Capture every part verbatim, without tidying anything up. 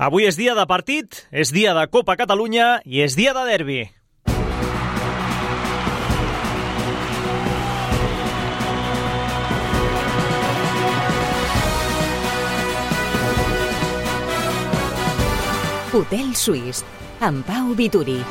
Avui és dia de partit, és dia de Copa Catalunya i és dia de derbi. Hotel Suís, amb Pau Vituri.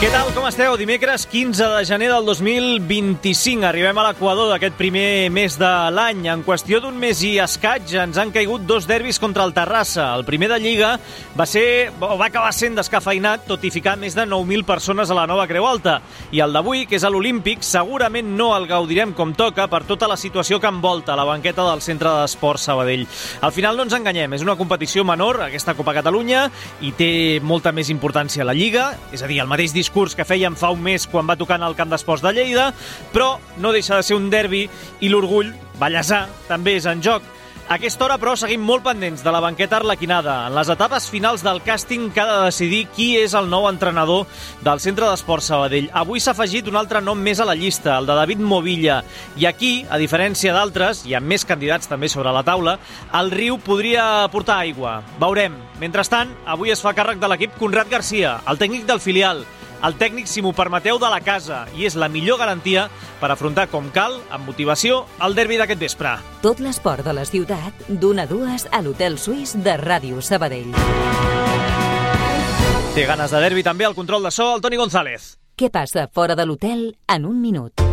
Què tal, com esteu? Dimecres quinze de gener del dos mil vint-i-cinc. Arribem a l'equador d'aquest primer mes de l'any. En qüestió d'un mes i escaig ens han caigut dos derbis contra el Terrassa. El primer de Lliga va ser, o va acabar sent descafeinat, tot i ficar més de nou mil persones a la nova Creu Alta. I el d'avui, que és a l'Olímpic, segurament no el gaudirem com toca per tota la situació que envolta la banqueta del Centre d'Esports Sabadell. Al final no ens enganyem, és una competició menor, aquesta Copa Catalunya, i té molta més importància la Lliga, és a dir, el mateix discurs que fèiem fa un mes quan va tocar en el Camp d'Esports de Lleida, però no deixa de ser un derbi i l'orgull ballesà també és en joc. A aquesta hora, però, seguim molt pendents de la banqueta arlequinada. En les etapes finals del càsting que ha de decidir qui és el nou entrenador del Centre d'Esports Sabadell. Avui s'ha afegit un altre nom més a la llista, el de David Movilla. I aquí, a diferència d'altres, i amb més candidats també sobre la taula, el riu podria portar aigua. Veurem. Mentrestant, avui es fa càrrec de l'equip Conrad Garcia, el tècnic del filial, el tècnic, si m'ho permeteu, de la casa, i és la millor garantia per afrontar com cal, amb motivació, el derbi d'aquest vespre. Tot l'esport de la ciutat, d'una a dues a l'Hotel Suís de Ràdio Sabadell. Té ganes de derbi també al control de so el Toni González. Què passa fora de l'hotel en un minut?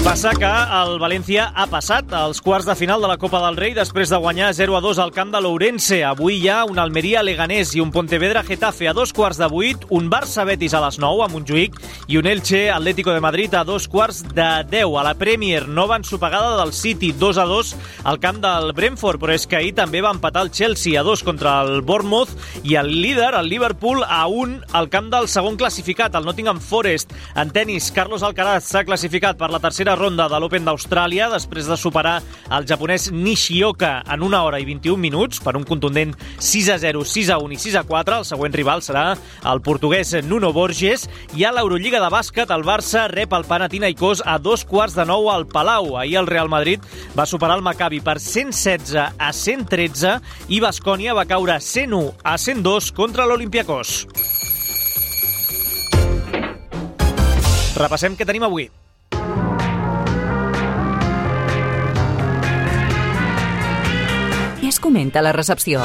Passa que el València ha passat als quarts de final de la Copa del Rei després de guanyar zero a dos al camp de l'Ourense. Avui hi ha un Almeria-Leganés i un Pontevedra-Getafe a dos quarts de vuit, un Barça-Betis a les nou a Montjuïc i un Elche-Atlético de Madrid a dos quarts de deu. A la Premier, nova ensopegada del City, dos a dos al camp del Brentford, però és que ahir també va empatar el Chelsea a dos contra el Bournemouth i el líder, el Liverpool, a un al camp del segon classificat, el Nottingham Forest. En tenis, Carlos Alcaraz s'ha classificat per la tercera ronda de l'Open d'Austràlia després de superar el japonès Nishioka en una hora i vint-i-un minuts per un contundent sis a zero, sis a un i sis a quatre. El següent rival serà el portuguès Nuno Borges. I a l'Eurolliga de bàsquet, el Barça rep el Panathinaikos a dos quarts de nou al Palau. Ahir el Real Madrid va superar el Maccabi per cent setze a cent tretze i Baskonia va caure cent u a cent dos contra l'Olympiakos. Repassem què tenim avui. Què es comenta a la recepció?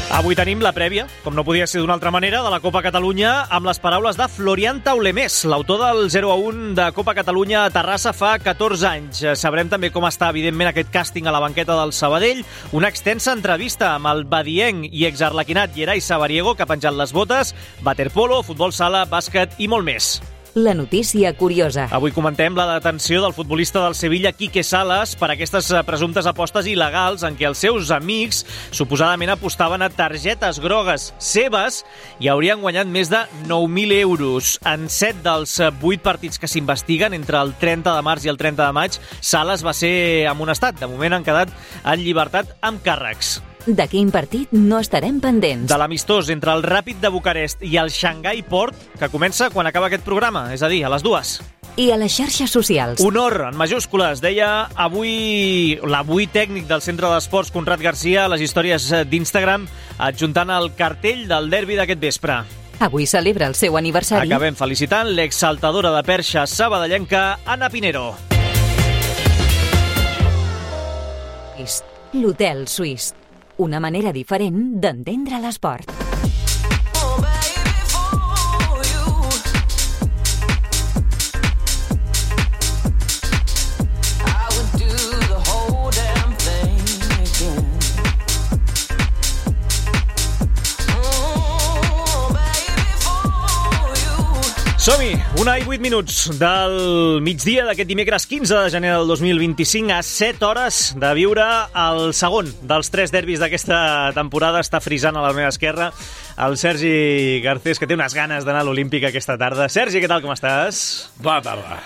Avui tenim la prèvia, com no podia ser d'una altra manera, de la Copa Catalunya amb les paraules de Florian Taulemés, l'autor del zero a un de Copa Catalunya a Terrassa fa catorze anys. Sabrem també com està, evidentment, aquest càsting a la banqueta del Sabadell, una extensa entrevista amb el badienc i exarlequinat Yeray Sabariego, que ha penjat les botes, waterpolo, futbol sala, bàsquet i molt més. La notícia curiosa. Avui comentem la detenció del futbolista del Sevilla, Quique Salas, per aquestes presumptes apostes il·legals en què els seus amics suposadament apostaven a targetes grogues seves i haurien guanyat més de nou mil euros. En set dels vuit partits que s'investiguen, entre el trenta de març i el trenta de maig, Salas va ser amonestat. De moment han quedat en llibertat amb càrrecs. De quin partit no estarem pendents? De l'amistós entre el Ràpid de Bucarest i el Shanghai Port, que comença quan acaba aquest programa, és a dir, a les dues. I a les xarxes socials. Honor, en majúscules, deia avui l'avui tècnic del Centre d'Esports, Conrad Garcia, a les històries d'Instagram, adjuntant el cartell del derbi d'aquest vespre. Avui celebra el seu aniversari. Acabem felicitant l'exaltadora de perxa sabadellenca, Anna Pinero. L'Hotel Suís. Una manera diferent d'entendre l'esport. Som-hi! Una i vuit minuts del migdia d'aquest dimecres quinze de gener del dos mil vint-i-cinc, a set hores de viure el segon dels tres derbis d'aquesta temporada. Està frisant a la meva esquerra el Sergi Garcés, que té unes ganes d'anar a l'Olímpic aquesta tarda. Sergi, què tal, com estàs? Bona tarda.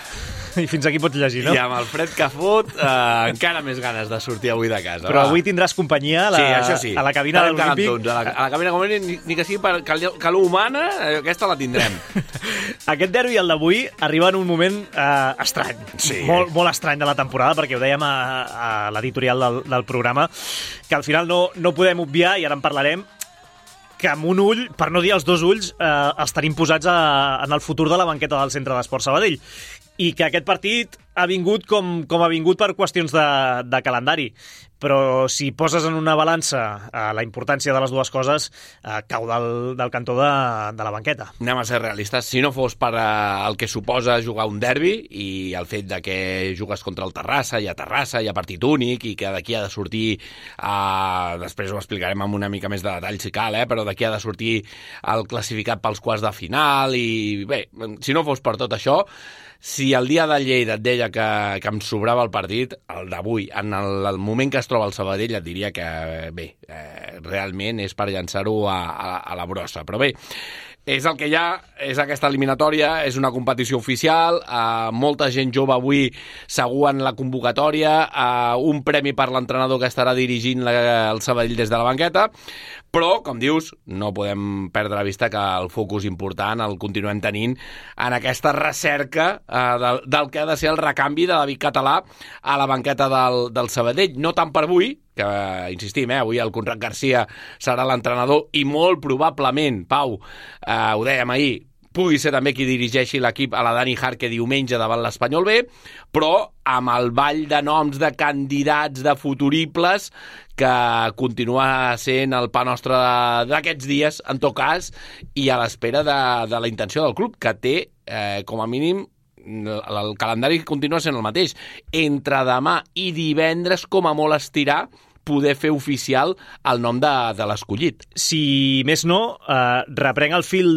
I fins aquí pots llegir, no? I amb el fred que fot, eh, encara més ganes de sortir avui de casa. Però va. avui tindràs companyia a la, sí, això sí. a la cabina de l'Olímpic. A la, a la cabina de l'Olímpic, ni, ni que sigui per calor humana, aquesta la tindrem. Aquest derbi, el d'avui, arriba en un moment eh, estrany. Sí. Molt, molt estrany de la temporada, perquè ho dèiem a, a l'editorial del, del programa, que al final no, no podem obviar, i ara en parlarem, que amb un ull, per no dir els dos ulls, eh, els tenim posats a, en el futur de la banqueta del Centre d'Esport Sabadell. I que aquest partit ha vingut com, com ha vingut per qüestions de, de calendari. Però si poses en una balança eh, la importància de les dues coses, eh, cau del, del cantó de, de la banqueta. Anem a ser realistes. Si no fos per eh, el que suposa jugar un derbi i el fet de que jugues contra el Terrassa, hi ha Terrassa, hi ha partit únic i que d'aquí ha de sortir, eh, després ho explicarem amb una mica més de detall si cal, eh, però d'aquí ha de sortir el classificat pels quarts de final i bé, si no fos per tot això, si el dia de Lleida et deia que, que em sobrava el partit, el d'avui, en el, el moment que es troba el Sabadell, et diria que, bé, eh, realment és per llançar-ho a, a, a la brossa. Però bé, és el que hi ha, és aquesta eliminatòria, és una competició oficial, eh, molta gent jove avui segur en la convocatòria, eh, un premi per l'entrenador que estarà dirigint la, el Sabadell des de la banqueta, però, com dius, no podem perdre la vista que el focus important el continuem tenint en aquesta recerca eh, del, del que ha de ser el recanvi de David Català a la banqueta del, del Sabadell. No tant per avui, que, eh, insistim, eh, avui el Conrad Garcia serà l'entrenador i molt probablement, Pau, eh, ho dèiem ahir, pugui ser també qui dirigeixi l'equip a la Dani Jarque diumenge davant l'Espanyol B, però amb el ball de noms de candidats, de futuribles, que continua sent el pa nostre d'aquests dies, en tot cas, i a l'espera de, de la intenció del club, que té, eh, com a mínim, el calendari continua sent el mateix. Entre demà i divendres, com a molt estirar, poder fer oficial el nom de, de l'escollit. Si més no, eh, reprenc el fil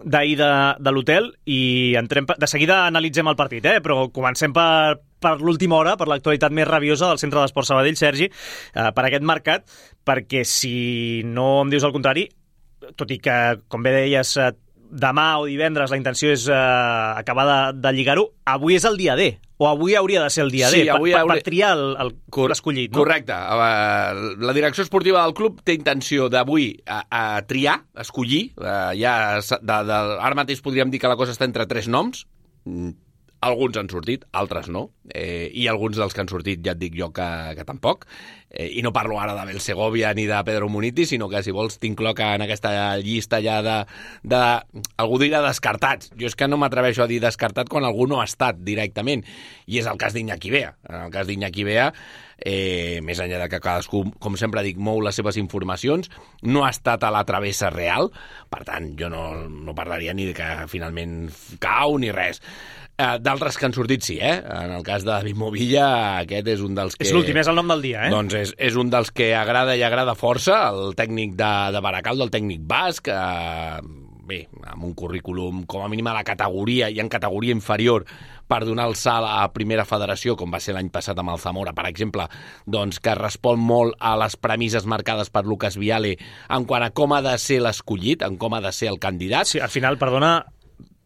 d'ahir de, de l'hotel i entrem, de seguida analitzem el partit, eh? Però comencem per, per l'última hora, per l'actualitat més rabiosa del Centre d'Esport Sabadell, Sergi, eh, per aquest mercat, perquè si no em dius el contrari, tot i que, com bé deies, eh, demà o divendres la intenció és eh, acabar de, de lligar-ho, avui és el dia D, o avui hauria de ser el dia sí, D, per, hauria... per, per triar l'escollit. No? Correcte. La direcció esportiva del club té intenció d'avui a, a triar, escollir. Ja, de, de, ara mateix podríem dir que la cosa està entre tres noms. Alguns han sortit, altres no. Eh, I alguns dels que han sortit ja et dic jo que, que tampoc. Eh, I no parlo ara de Bel Segovia ni de Pedro Muniti, sinó que, si vols, t'incloc en aquesta llista ja de, de... algú dirà descartats. Jo és que no m'atreveixo a dir descartat quan algú no ha estat directament. I és el cas d'Iñaki Bea. En el cas d'Iñaki Bea, eh, més enllà de que cadascú, com sempre dic, mou les seves informacions, no ha estat a la travessa real. Per tant, jo no, no parlaria ni de que finalment cau ni res. Uh, d'altres que han sortit sí, eh? En el cas de David Movilla, aquest és un dels que... És l'últim, és el nom del dia, eh? Doncs és, és un dels que agrada i agrada força, el tècnic de, de Baracaldo, el tècnic basc, uh, bé, amb un currículum com a mínim a la categoria i en categoria inferior per donar el salt a primera federació, com va ser l'any passat amb el Zamora, per exemple, doncs que respon molt a les premisses marcades per Lucas Viale en quant a com ha de ser l'escollit, en com ha de ser el candidat. Sí, al final, perdona,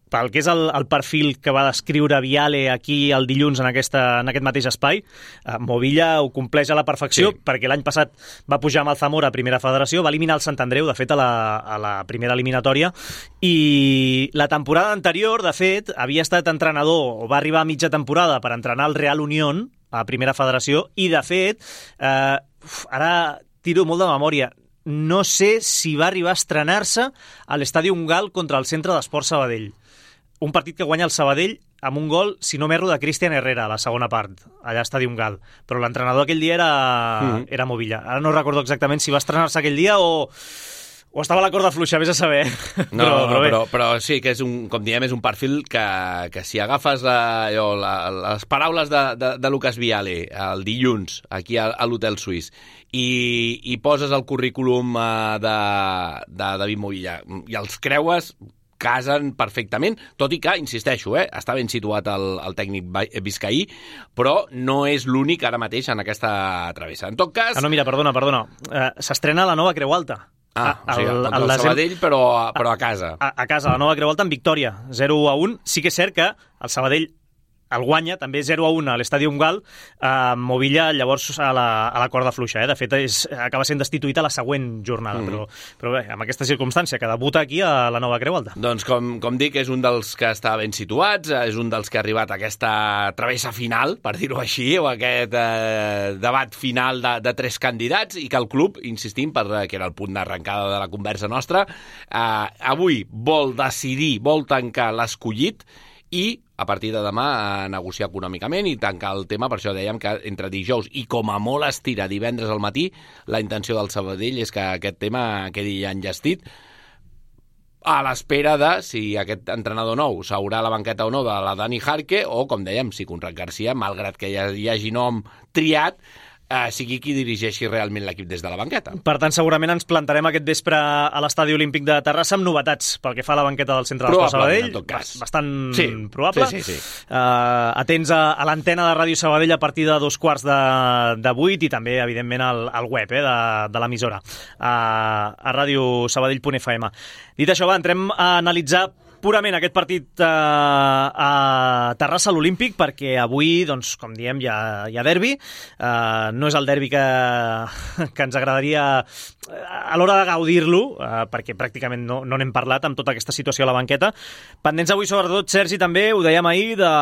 pel que és el, el perfil que va descriure Viale aquí el dilluns en, aquesta, en aquest mateix espai, eh, Movilla ho compleix a la perfecció, sí. Perquè l'any passat va pujar amb el Zamora a primera federació, va eliminar el Sant Andreu, de fet, a la, a la primera eliminatòria, i la temporada anterior, de fet, havia estat entrenador, o va arribar a mitja temporada per entrenar el Real Unión a primera federació, i de fet, eh, uf, ara tiro molt de memòria, no sé si va arribar a estrenar-se a l'Estadi Ungal contra el Centre d'Esport Sabadell. Un partit que guanya el Sabadell amb un gol, si no m'erro, de Cristian Herrera a la segona part, allà a Estadi Ungal. Però l'entrenador aquell dia era, mm. era Movilla. Ara no recordo exactament si va estrenar-se aquell dia o... o estava a la corda fluixa, vés a saber. No, però, però, però, però sí que és un, com diem, és un perfil que, que si agafes la, jo, la, les paraules de, de, de Lucas Viale el dilluns aquí a, a l'Hotel Suís i, i poses el currículum de, de David Movilla i els creues, casen perfectament, tot i que, insisteixo, eh, està ben situat el, el tècnic biscaí, però no és l'únic ara mateix en aquesta travessa. En tot cas... Ah, no, mira, perdona, perdona. Uh, s'estrena la nova Creu Alta. Ah, o sigui, el, el, el Sabadell, però, però a casa. A, a casa, la nova Creu Alta en victòria, zero a un. Sí que és cert que el Sabadell el guanya, també zero a un a l'Estadi Gal, eh, Movilla llavors a la, a la corda fluixa. Eh? De fet, és, acaba sent destituït a la següent jornada, mm. però, però bé, amb aquesta circumstància, que debuta aquí a la Nova Creu Alta. Doncs com, com dic, és un dels que està ben situats, és un dels que ha arribat a aquesta travessa final, per dir-ho així, o aquest eh, debat final de, de tres candidats, i que el club, insistim, per, que era el punt d'arrencada de la conversa nostra, eh, avui vol decidir, vol tancar l'escollit i a partir de demà a negociar econòmicament i tancar el tema. Per això dèiem que entre dijous i com a molt estira divendres al matí, la intenció del Sabadell és que aquest tema quedi ja enllestit, a l'espera de si aquest entrenador nou s'haurà a la banqueta o no de la Dani Jarque, o, com dèiem, si Conrad Garcia, malgrat que hi, hi hagi nom triat, Uh, sigui qui dirigeixi realment l'equip des de la banqueta. Per tant, segurament ens plantarem aquest vespre a l'Estadi Olímpic de Terrassa amb novetats pel que fa a la banqueta del centre d'Esport Sabadell. En tot cas. Bastant sí. probable. Sí, sí, sí. Uh, atents a, a l'antena de Ràdio Sabadell a partir de dos quarts de, de vuit i també, evidentment, al, al web eh, de, de l'emissora, uh, a radiosabadell punt f m. Dit això, va, entrem a analitzar purament aquest partit eh, a Terrassa, a l'Olímpic, perquè avui, doncs, com diem, hi ha, hi ha derbi. Eh, no és el derbi que, que ens agradaria a l'hora de gaudir-lo, eh, perquè pràcticament no, no n'hem parlat amb tota aquesta situació a la banqueta. Pendents avui, sobretot, Sergi, també, ho dèiem ahir, de,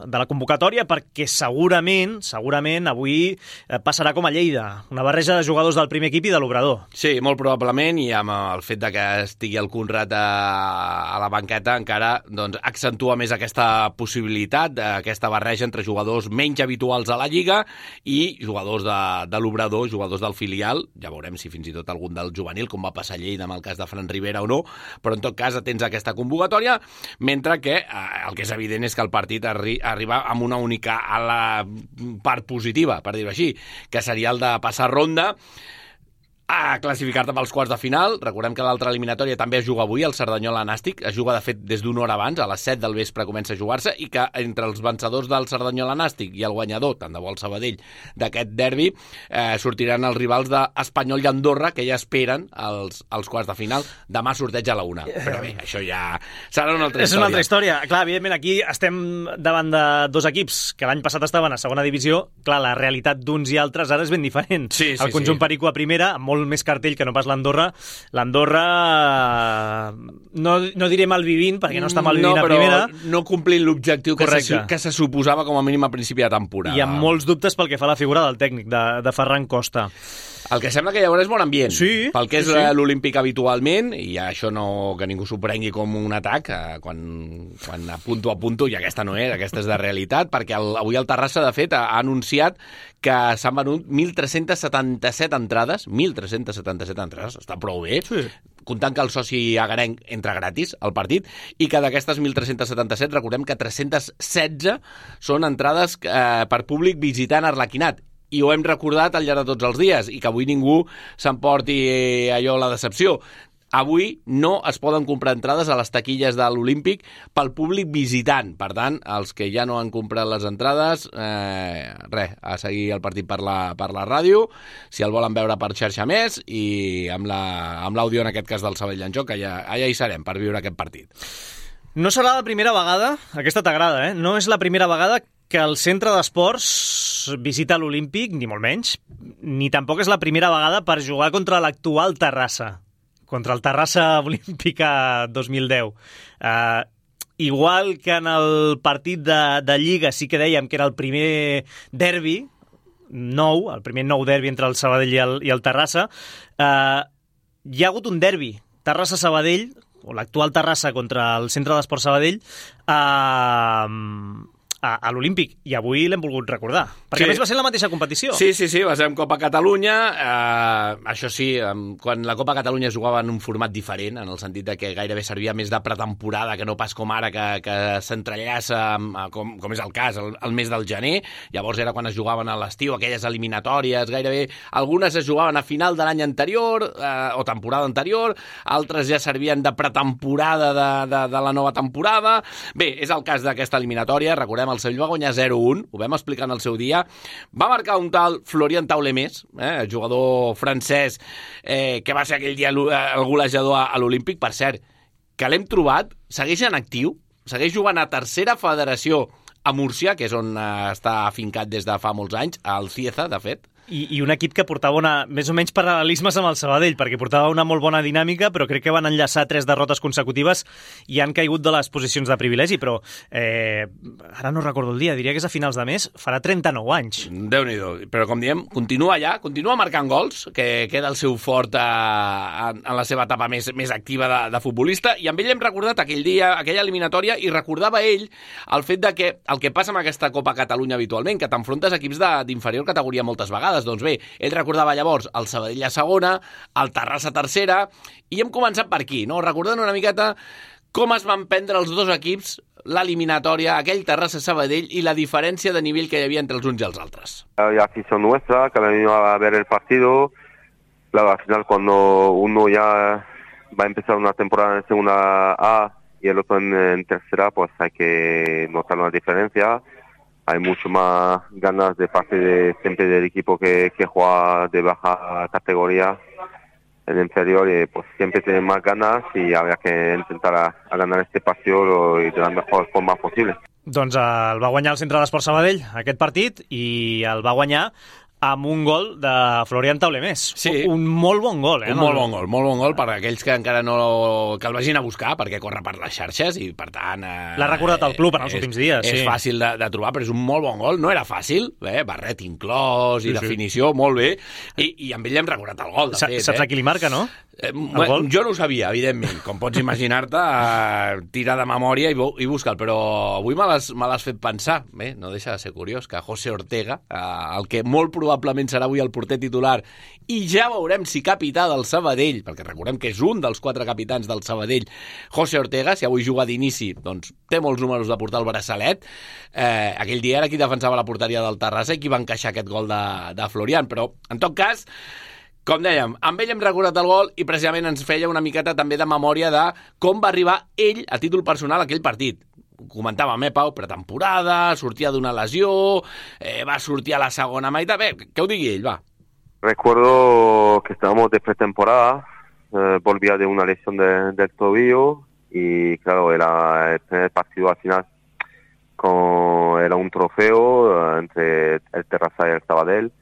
de la convocatòria, perquè segurament, segurament, avui eh, passarà com a Lleida, una barreja de jugadors del primer equip i de l'Obrador. Sí, molt probablement, i amb el fet de que estigui el Conrad a, a la banqueta encara doncs, accentua més aquesta possibilitat, aquesta barreja entre jugadors menys habituals a la Lliga i jugadors de, de l'Obrador, jugadors del filial. Ja veurem si fins i tot algun del juvenil, com va passar a Lleida amb el cas de Fran Rivera o no, però en tot cas atents a aquesta convocatòria, mentre que eh, el que és evident és que el partit arri arriba amb una única a la part positiva, per dir-ho així, que seria el de passar ronda, a classificar-te pels quarts de final. Recordem que l'altra eliminatòria també es juga avui, el Cerdanyola-Nàstic. Es juga, de fet, des d'una hora abans, a les set del vespre comença a jugar-se, i que entre els vencedors del Cerdanyola-Nàstic i el guanyador, tant de bo el Sabadell, d'aquest derbi, eh, sortiran els rivals d'Espanyol i Andorra, que ja esperen els, els quarts de final. Demà sorteig a la una. Però bé, això ja serà una altra història. És una altra història. Clar, evidentment, aquí estem davant de dos equips que l'any passat estaven a segona divisió. Clar, la realitat d'uns i altres ara és ben diferent. Sí, sí, el conjunt sí. Perico a primera, amb molt més cartell que no pas l'Andorra. L'Andorra, no, no diré malvivint, perquè no està malvivint no, a primera. No complint l'objectiu que se, que se suposava com a mínim a principi de temporada. I amb molts dubtes pel que fa a la figura del tècnic, de, de Ferran Costa. El que sembla que llavors és bon ambient. Sí, pel que és sí, sí. l'Olímpic habitualment, i això no que ningú s'ho prengui com un atac, eh, quan, quan apunto a punto, i aquesta no és, aquesta és de realitat, perquè el, avui el Terrassa, de fet, ha, ha anunciat que s'han venut mil tres-cents setanta-set entrades, mil tres-cents setanta-set entrades, està prou bé, sí. Comptant que el soci agarenc entra gratis al partit, i que d'aquestes mil tres-cents setanta-set, recordem que tres-cents setze són entrades eh, per públic visitant Arlequinat, i ho hem recordat al llarg de tots els dies, i que avui ningú s'emporti allò la decepció. Avui no es poden comprar entrades a les taquilles de l'Olímpic pel públic visitant. Per tant, els que ja no han comprat les entrades, eh, res, a seguir el partit per la, per la ràdio, si el volen veure per xarxa més, i amb l'àudio, en aquest cas del Sabadell en joc, que ja, allà hi serem per viure aquest partit. No serà la primera vegada, aquesta t'agrada, eh? No és la primera vegada que el centre d'esports visita l'Olímpic, ni molt menys, ni tampoc és la primera vegada per jugar contra l'actual Terrassa, contra el Terrassa Olímpica dos mil deu. Uh, igual que en el partit de, de Lliga sí que dèiem que era el primer derbi nou, el primer nou derbi entre el Sabadell i el, i el Terrassa, uh, hi ha hagut un derbi Terrassa-Sabadell, o l'actual Terrassa contra el centre d'esports Sabadell, uh, a, a l'Olímpic, i avui l'hem volgut recordar, perquè sí. A més va ser la mateixa competició. Sí, sí, sí, va ser en Copa Catalunya, eh, això sí, quan la Copa Catalunya es jugava en un format diferent, en el sentit de que gairebé servia més de pretemporada que no pas com ara, que, que s'entrellaça, com, com és el cas, el, el mes del gener. Llavors era quan es jugaven a l'estiu, aquelles eliminatòries, gairebé algunes es jugaven a final de l'any anterior, eh, o temporada anterior, altres ja servien de pretemporada de, de, de la nova temporada. Bé, és el cas d'aquesta eliminatòria. Recordem, el Sevilla va guanyar zero a un, ho vam explicar en el seu dia. Va marcar un tal Florian Taulemés, eh, el jugador francès, eh, que va ser aquell dia el golejador a l'Olímpic. Per cert, que l'hem trobat, segueix en actiu, segueix jugant a tercera federació a Múrcia, que és on uh, està afincat des de fa molts anys, al Cieza, de fet. I, i un equip que portava una, més o menys paral·lelismes amb el Sabadell, perquè portava una molt bona dinàmica, però crec que van enllaçar tres derrotes consecutives i han caigut de les posicions de privilegi, però eh, ara no recordo el dia, diria que és a finals de mes, farà trenta-nou anys. Déu-n'hi-do, però com diem, continua allà, continua marcant gols, que queda el seu fort a, en, en la seva etapa més, més activa de, de futbolista, i amb ell hem recordat aquell dia, aquella eliminatòria, i recordava ell el fet de que el que passa amb aquesta Copa Catalunya habitualment, que t'enfrontes a equips d'inferior categoria moltes vegades. Doncs bé, ell recordava llavors el Sabadell a segona, el Terrassa a tercera, i hem començat per aquí, no? Recordant una miqueta com es van prendre els dos equips l'eliminatòria, aquell Terrassa-Sabadell, i la diferència de nivell que hi havia entre els uns i els altres. La afición nuestra, que venimos a ver el partido, claro, al final cuando uno ya va a empezar una temporada en segunda A y el otro en, en tercera, pues hay que notar una diferencia. Hay mucho más ganas de parte de siempre del equipo que, que juega de baja categoría en inferior, y pues siempre tienen más ganas y habrá que intentar a, a ganar este partido de la mejor forma posible. Doncs el va guanyar el Centre d'Esport Sabadell aquest partit i el va guanyar amb un gol de Florian Taulemés. Sí. Un molt bon gol, eh? Un molt bon gol, molt bon gol per aquells que encara no... que el vagin a buscar, perquè corre per les xarxes i, per tant... Eh, L'ha recordat el club en els és, últims dies, és sí. És fàcil de, de trobar, però és un molt bon gol. No era fàcil, eh? Barret inclòs i sí, definició, sí. Molt bé. I, I amb ell hem recordat el gol, de Sa fet. Saps eh? a qui li marca, no? Eh, bueno, jo no ho sabia, evidentment. Com pots imaginar-te, eh, tira de memòria i, i busca'l, però avui me l'has fet pensar. Bé, no deixa de ser curiós que José Ortega, eh, el que molt probablement serà avui el porter titular, i ja veurem si capità del Sabadell, perquè recordem que és un dels quatre capitans del Sabadell, José Ortega, si avui juga d'inici, doncs té molts números de portar el braçalet. Eh, aquell dia era qui defensava la porteria del Terrassa i qui va encaixar aquest gol de, de Florian, però en tot cas, com dèiem, amb ell hem recordat el gol i precisament ens feia una miqueta també de memòria de com va arribar ell a títol personal a aquell partit. Comentàvem, eh, Pau, pretemporada, sortia d'una lesió, eh, va sortir a la segona meitat. Bé, que ho digui ell, va. Recuerdo que estábamos de pretemporada, eh, volvía de una lesión de, del tobillo y claro, era el primer partido al final, con, era un trofeo eh, entre el Terrassa y el Sabadell,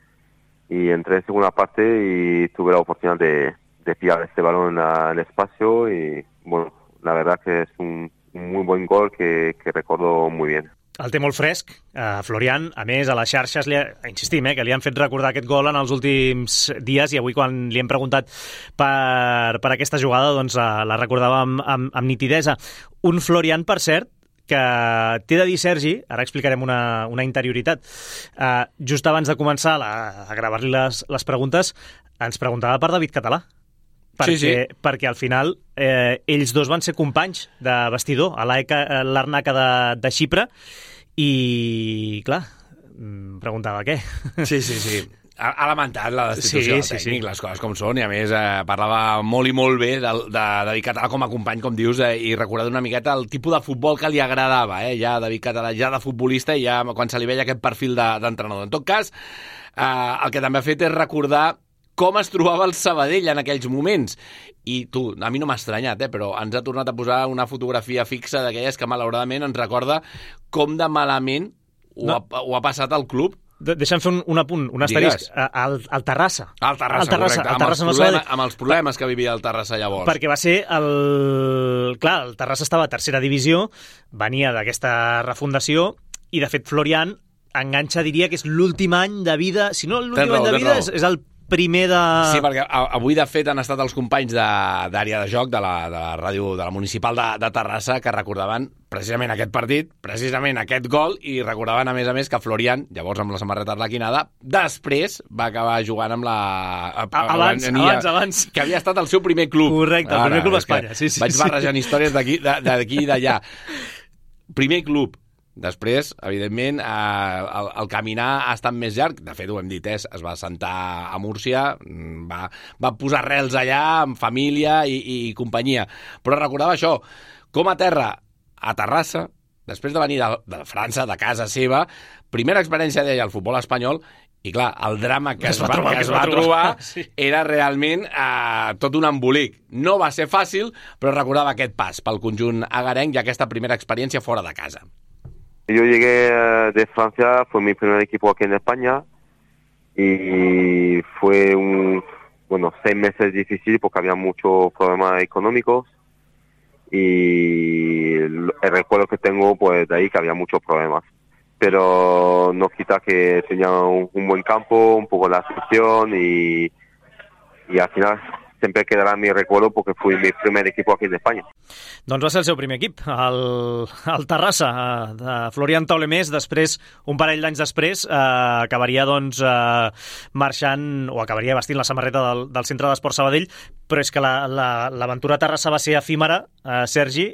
y entré en segunda parte y tuve la oportunidad de, de pillar este balón en, la, en el espacio y bueno, la verdad que es un un muy buen gol que, que recordo muy bien. El té molt fresc, eh, Florian. A més, a les xarxes, li ha, insistim, eh, que li han fet recordar aquest gol en els últims dies, i avui quan li hem preguntat per, per aquesta jugada, doncs eh, la recordava amb, amb, amb nitidesa. Un Florian, per cert, que t'he de dir, Sergi, ara explicarem una, una interioritat. Eh, just abans de començar la, a gravar-li les, les preguntes, ens preguntava per David Català. Perquè, sí, sí. perquè al final eh, ells dos van ser companys de vestidor a l'Arnaca de, de Xipre i, clar, preguntava què. Sí, sí, sí. Ha, ha lamentat la destitució sí, del tècnic, sí, sí. Les coses com són, i a més eh, parlava molt i molt bé de, de David Català com a company, com dius, eh, i recordant una miqueta el tipus de futbol que li agradava, eh, ja David Català, ja de futbolista, i ja quan se li veia aquest perfil d'entrenador. De, en tot cas, eh, el que també ha fet és recordar com es trobava el Sabadell en aquells moments. I tu, a mi no m'ha estranyat, eh, però ens ha tornat a posar una fotografia fixa d'aquelles que malauradament ens recorda com de malament ho, no. ha, ho ha passat al club. De Deixa'm fer un, un apunt, un asterisc. Al, al Terrassa. Al Terrassa, al Terrassa, correcte. Al Terrassa, amb, els problema, amb els problemes que vivia el Terrassa llavors. Perquè va ser el... Clar, el Terrassa estava a tercera divisió, venia d'aquesta refundació, i de fet Florian enganxa, diria que és l'últim any de vida, si no l'últim any de vida, és, és el primer de... Sí, perquè avui, de fet, han estat els companys d'àrea de, de joc de la, de la ràdio de la municipal de, de Terrassa que recordaven precisament aquest partit, precisament aquest gol, i recordaven, a més a més, que Florian, llavors amb la samarreta arlequinada, després va acabar jugant amb la... Abans, abans, abans. Que havia estat el seu primer club. Correcte, el primer club d'Espanya. Sí, sí, vaig barrejant sí. històries d'aquí i d'allà. Primer club. Després, evidentment, eh, el, el caminar ha estat més llarg. De fet, ho hem dit, eh, es va assentar a Múrcia, va, va posar rels allà, amb família i, i companyia. Però recordava això, com a terra, a Terrassa, després de venir de, de França, de casa seva, primera experiència d'ella al futbol espanyol, i clar, el drama que es, es va, trobar, que es va, va trobar, trobar sí. era realment eh, tot un embolic. No va ser fàcil, però recordava aquest pas pel conjunt agarenc i aquesta primera experiència fora de casa. Yo llegué de Francia, fue mi primer equipo aquí en España y fue un, bueno, seis meses difícil porque había muchos problemas económicos y el recuerdo que tengo pues de ahí que había muchos problemas. Pero no quita que tenía un, un buen campo, un poco la afición y, y al final sempre quedarà mi recuerdo perquè fui mi primer equip aquí d'Espanya. Doncs va ser el seu primer equip, el, el Terrassa, de Florian Taulemés. Després, un parell d'anys després, eh, acabaria doncs, eh, marxant, o acabaria vestint la samarreta del, del Centre d'Esport Sabadell, però és que l'aventura la, la, Terrassa va ser efímera, eh, Sergi,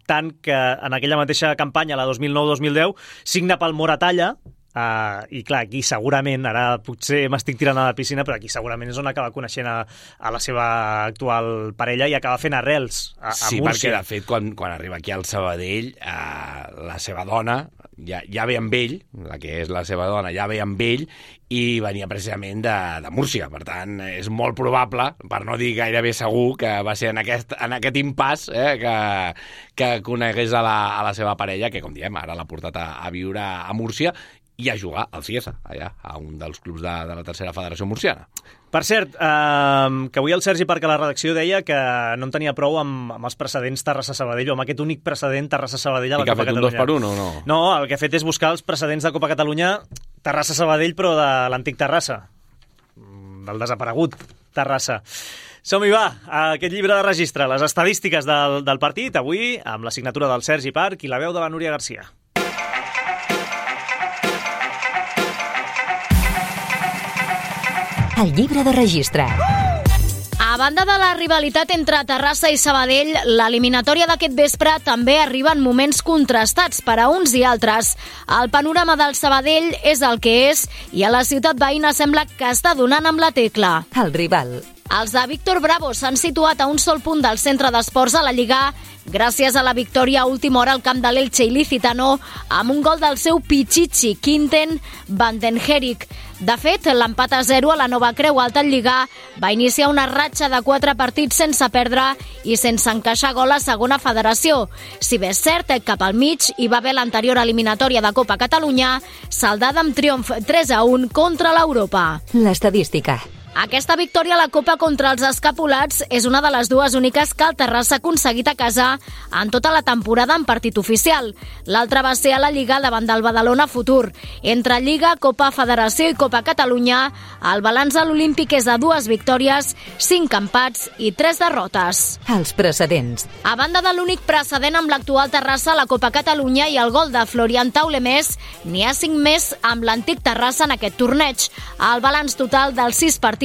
tant que en aquella mateixa campanya, la dos mil nou dos mil deu, signa pel Moratalla. Uh, i clar, aquí segurament, ara potser m'estic tirant a la piscina, però aquí segurament és on acaba coneixent a, a la seva actual parella i acaba fent arrels a, a sí, Múrcia. Sí, perquè de fet quan, quan arriba aquí al Sabadell, uh, la seva dona ja, ja ve amb ell, la que és la seva dona ja ve amb ell i venia precisament de, de Múrcia. Per tant, és molt probable, per no dir gairebé segur, que va ser en aquest, en aquest impàs eh, que, que conegués a la, a la seva parella, que com diem, ara l'ha portat a, a viure a Múrcia i a jugar al Cieza, allà, a un dels clubs de, de la tercera federació murciana. Per cert, eh, que avui el Sergi Parc a la redacció deia que no en tenia prou amb, amb els precedents Terrassa-Sabadell, o amb aquest únic precedent Terrassa-Sabadell a la Copa Catalunya. I que ha fet un dos per un o no? No, el que ha fet és buscar els precedents de Copa Catalunya Terrassa-Sabadell, però de l'antic Terrassa, del desaparegut Terrassa. Som-hi, va, a aquest llibre de registre, les estadístiques del, del partit, avui amb la signatura del Sergi Parc i la veu de la Núria Garcia. El llibre de registre. A banda de la rivalitat entre Terrassa i Sabadell, l'eliminatòria d'aquest vespre també arriba en moments contrastats per a uns i altres. El panorama del Sabadell és el que és i a la ciutat veïna sembla que està donant amb la tecla. El rival. Els de Víctor Bravo s'han situat a un sol punt del centre d'esports a la Lliga gràcies a la victòria a última hora al camp de l'Elche Ilicitano amb un gol del seu Pichichi Quinten Vandenherik. De fet, l'empat a zero a la Nova Creu Alta en Lliga va iniciar una ratxa de quatre partits sense perdre i sense encaixar gol a segona federació. Si bé és cert, cap al mig hi va haver l'anterior eliminatòria de Copa Catalunya, saldada amb triomf tres a un contra l'Europa. L'estadística. Aquesta victòria a la Copa contra els escapulats és una de les dues úniques que el Terrassa ha aconseguit a casa en tota la temporada en partit oficial. L'altra va ser a la Lliga davant del Badalona Futur. Entre Lliga, Copa Federació i Copa Catalunya, el balanç a l'Olímpic és de dues victòries, cinc empats i tres derrotes. Els precedents. A banda de l'únic precedent amb l'actual Terrassa a la Copa Catalunya i el gol de Florian Taulemés, n'hi ha cinc més amb l'antic Terrassa en aquest torneig. El balanç total dels sis partits,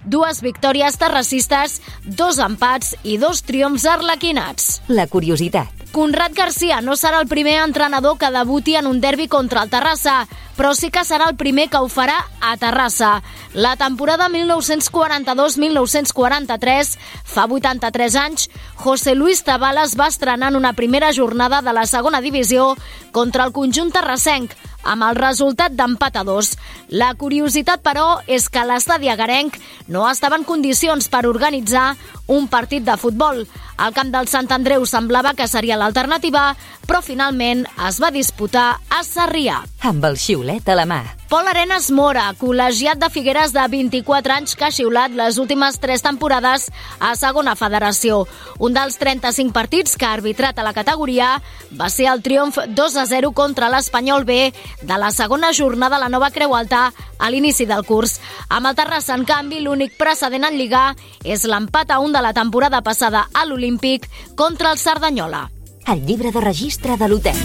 dues victòries terracistes, dos empats i dos triomfs arlequinats. La curiositat. Conrad Garcia no serà el primer entrenador que debuti en un derbi contra el Terrassa, però sí que serà el primer que ho farà a Terrassa. La temporada mil nou-cents quaranta-dos mil nou-cents quaranta-tres, fa vuitanta-tres anys, José Luis Tabales va estrenar en una primera jornada de la segona divisió contra el conjunt terrassenc, amb el resultat d'empat a dos. La curiositat, però, és que l'estadi agarenc no estava en condicions per organitzar un partit de futbol. El camp del Sant Andreu semblava que seria l'alternativa, però finalment es va disputar a Sarrià. Amb el xiulet a la mà. Pol Arenas Mora, col·legiat de Figueres de vint-i-quatre anys que ha xiulat les últimes tres temporades a segona federació. Un dels trenta-cinc partits que ha arbitrat a la categoria va ser el triomf dos a zero contra l'Espanyol B de la segona jornada a la Nova Creu Alta a l'inici del curs. Amb el Terrassa, en canvi, l'únic precedent en Lliga és l'empat a un de la temporada passada a l'Olímpic contra el Cerdanyola. El llibre de registre de l'hotel.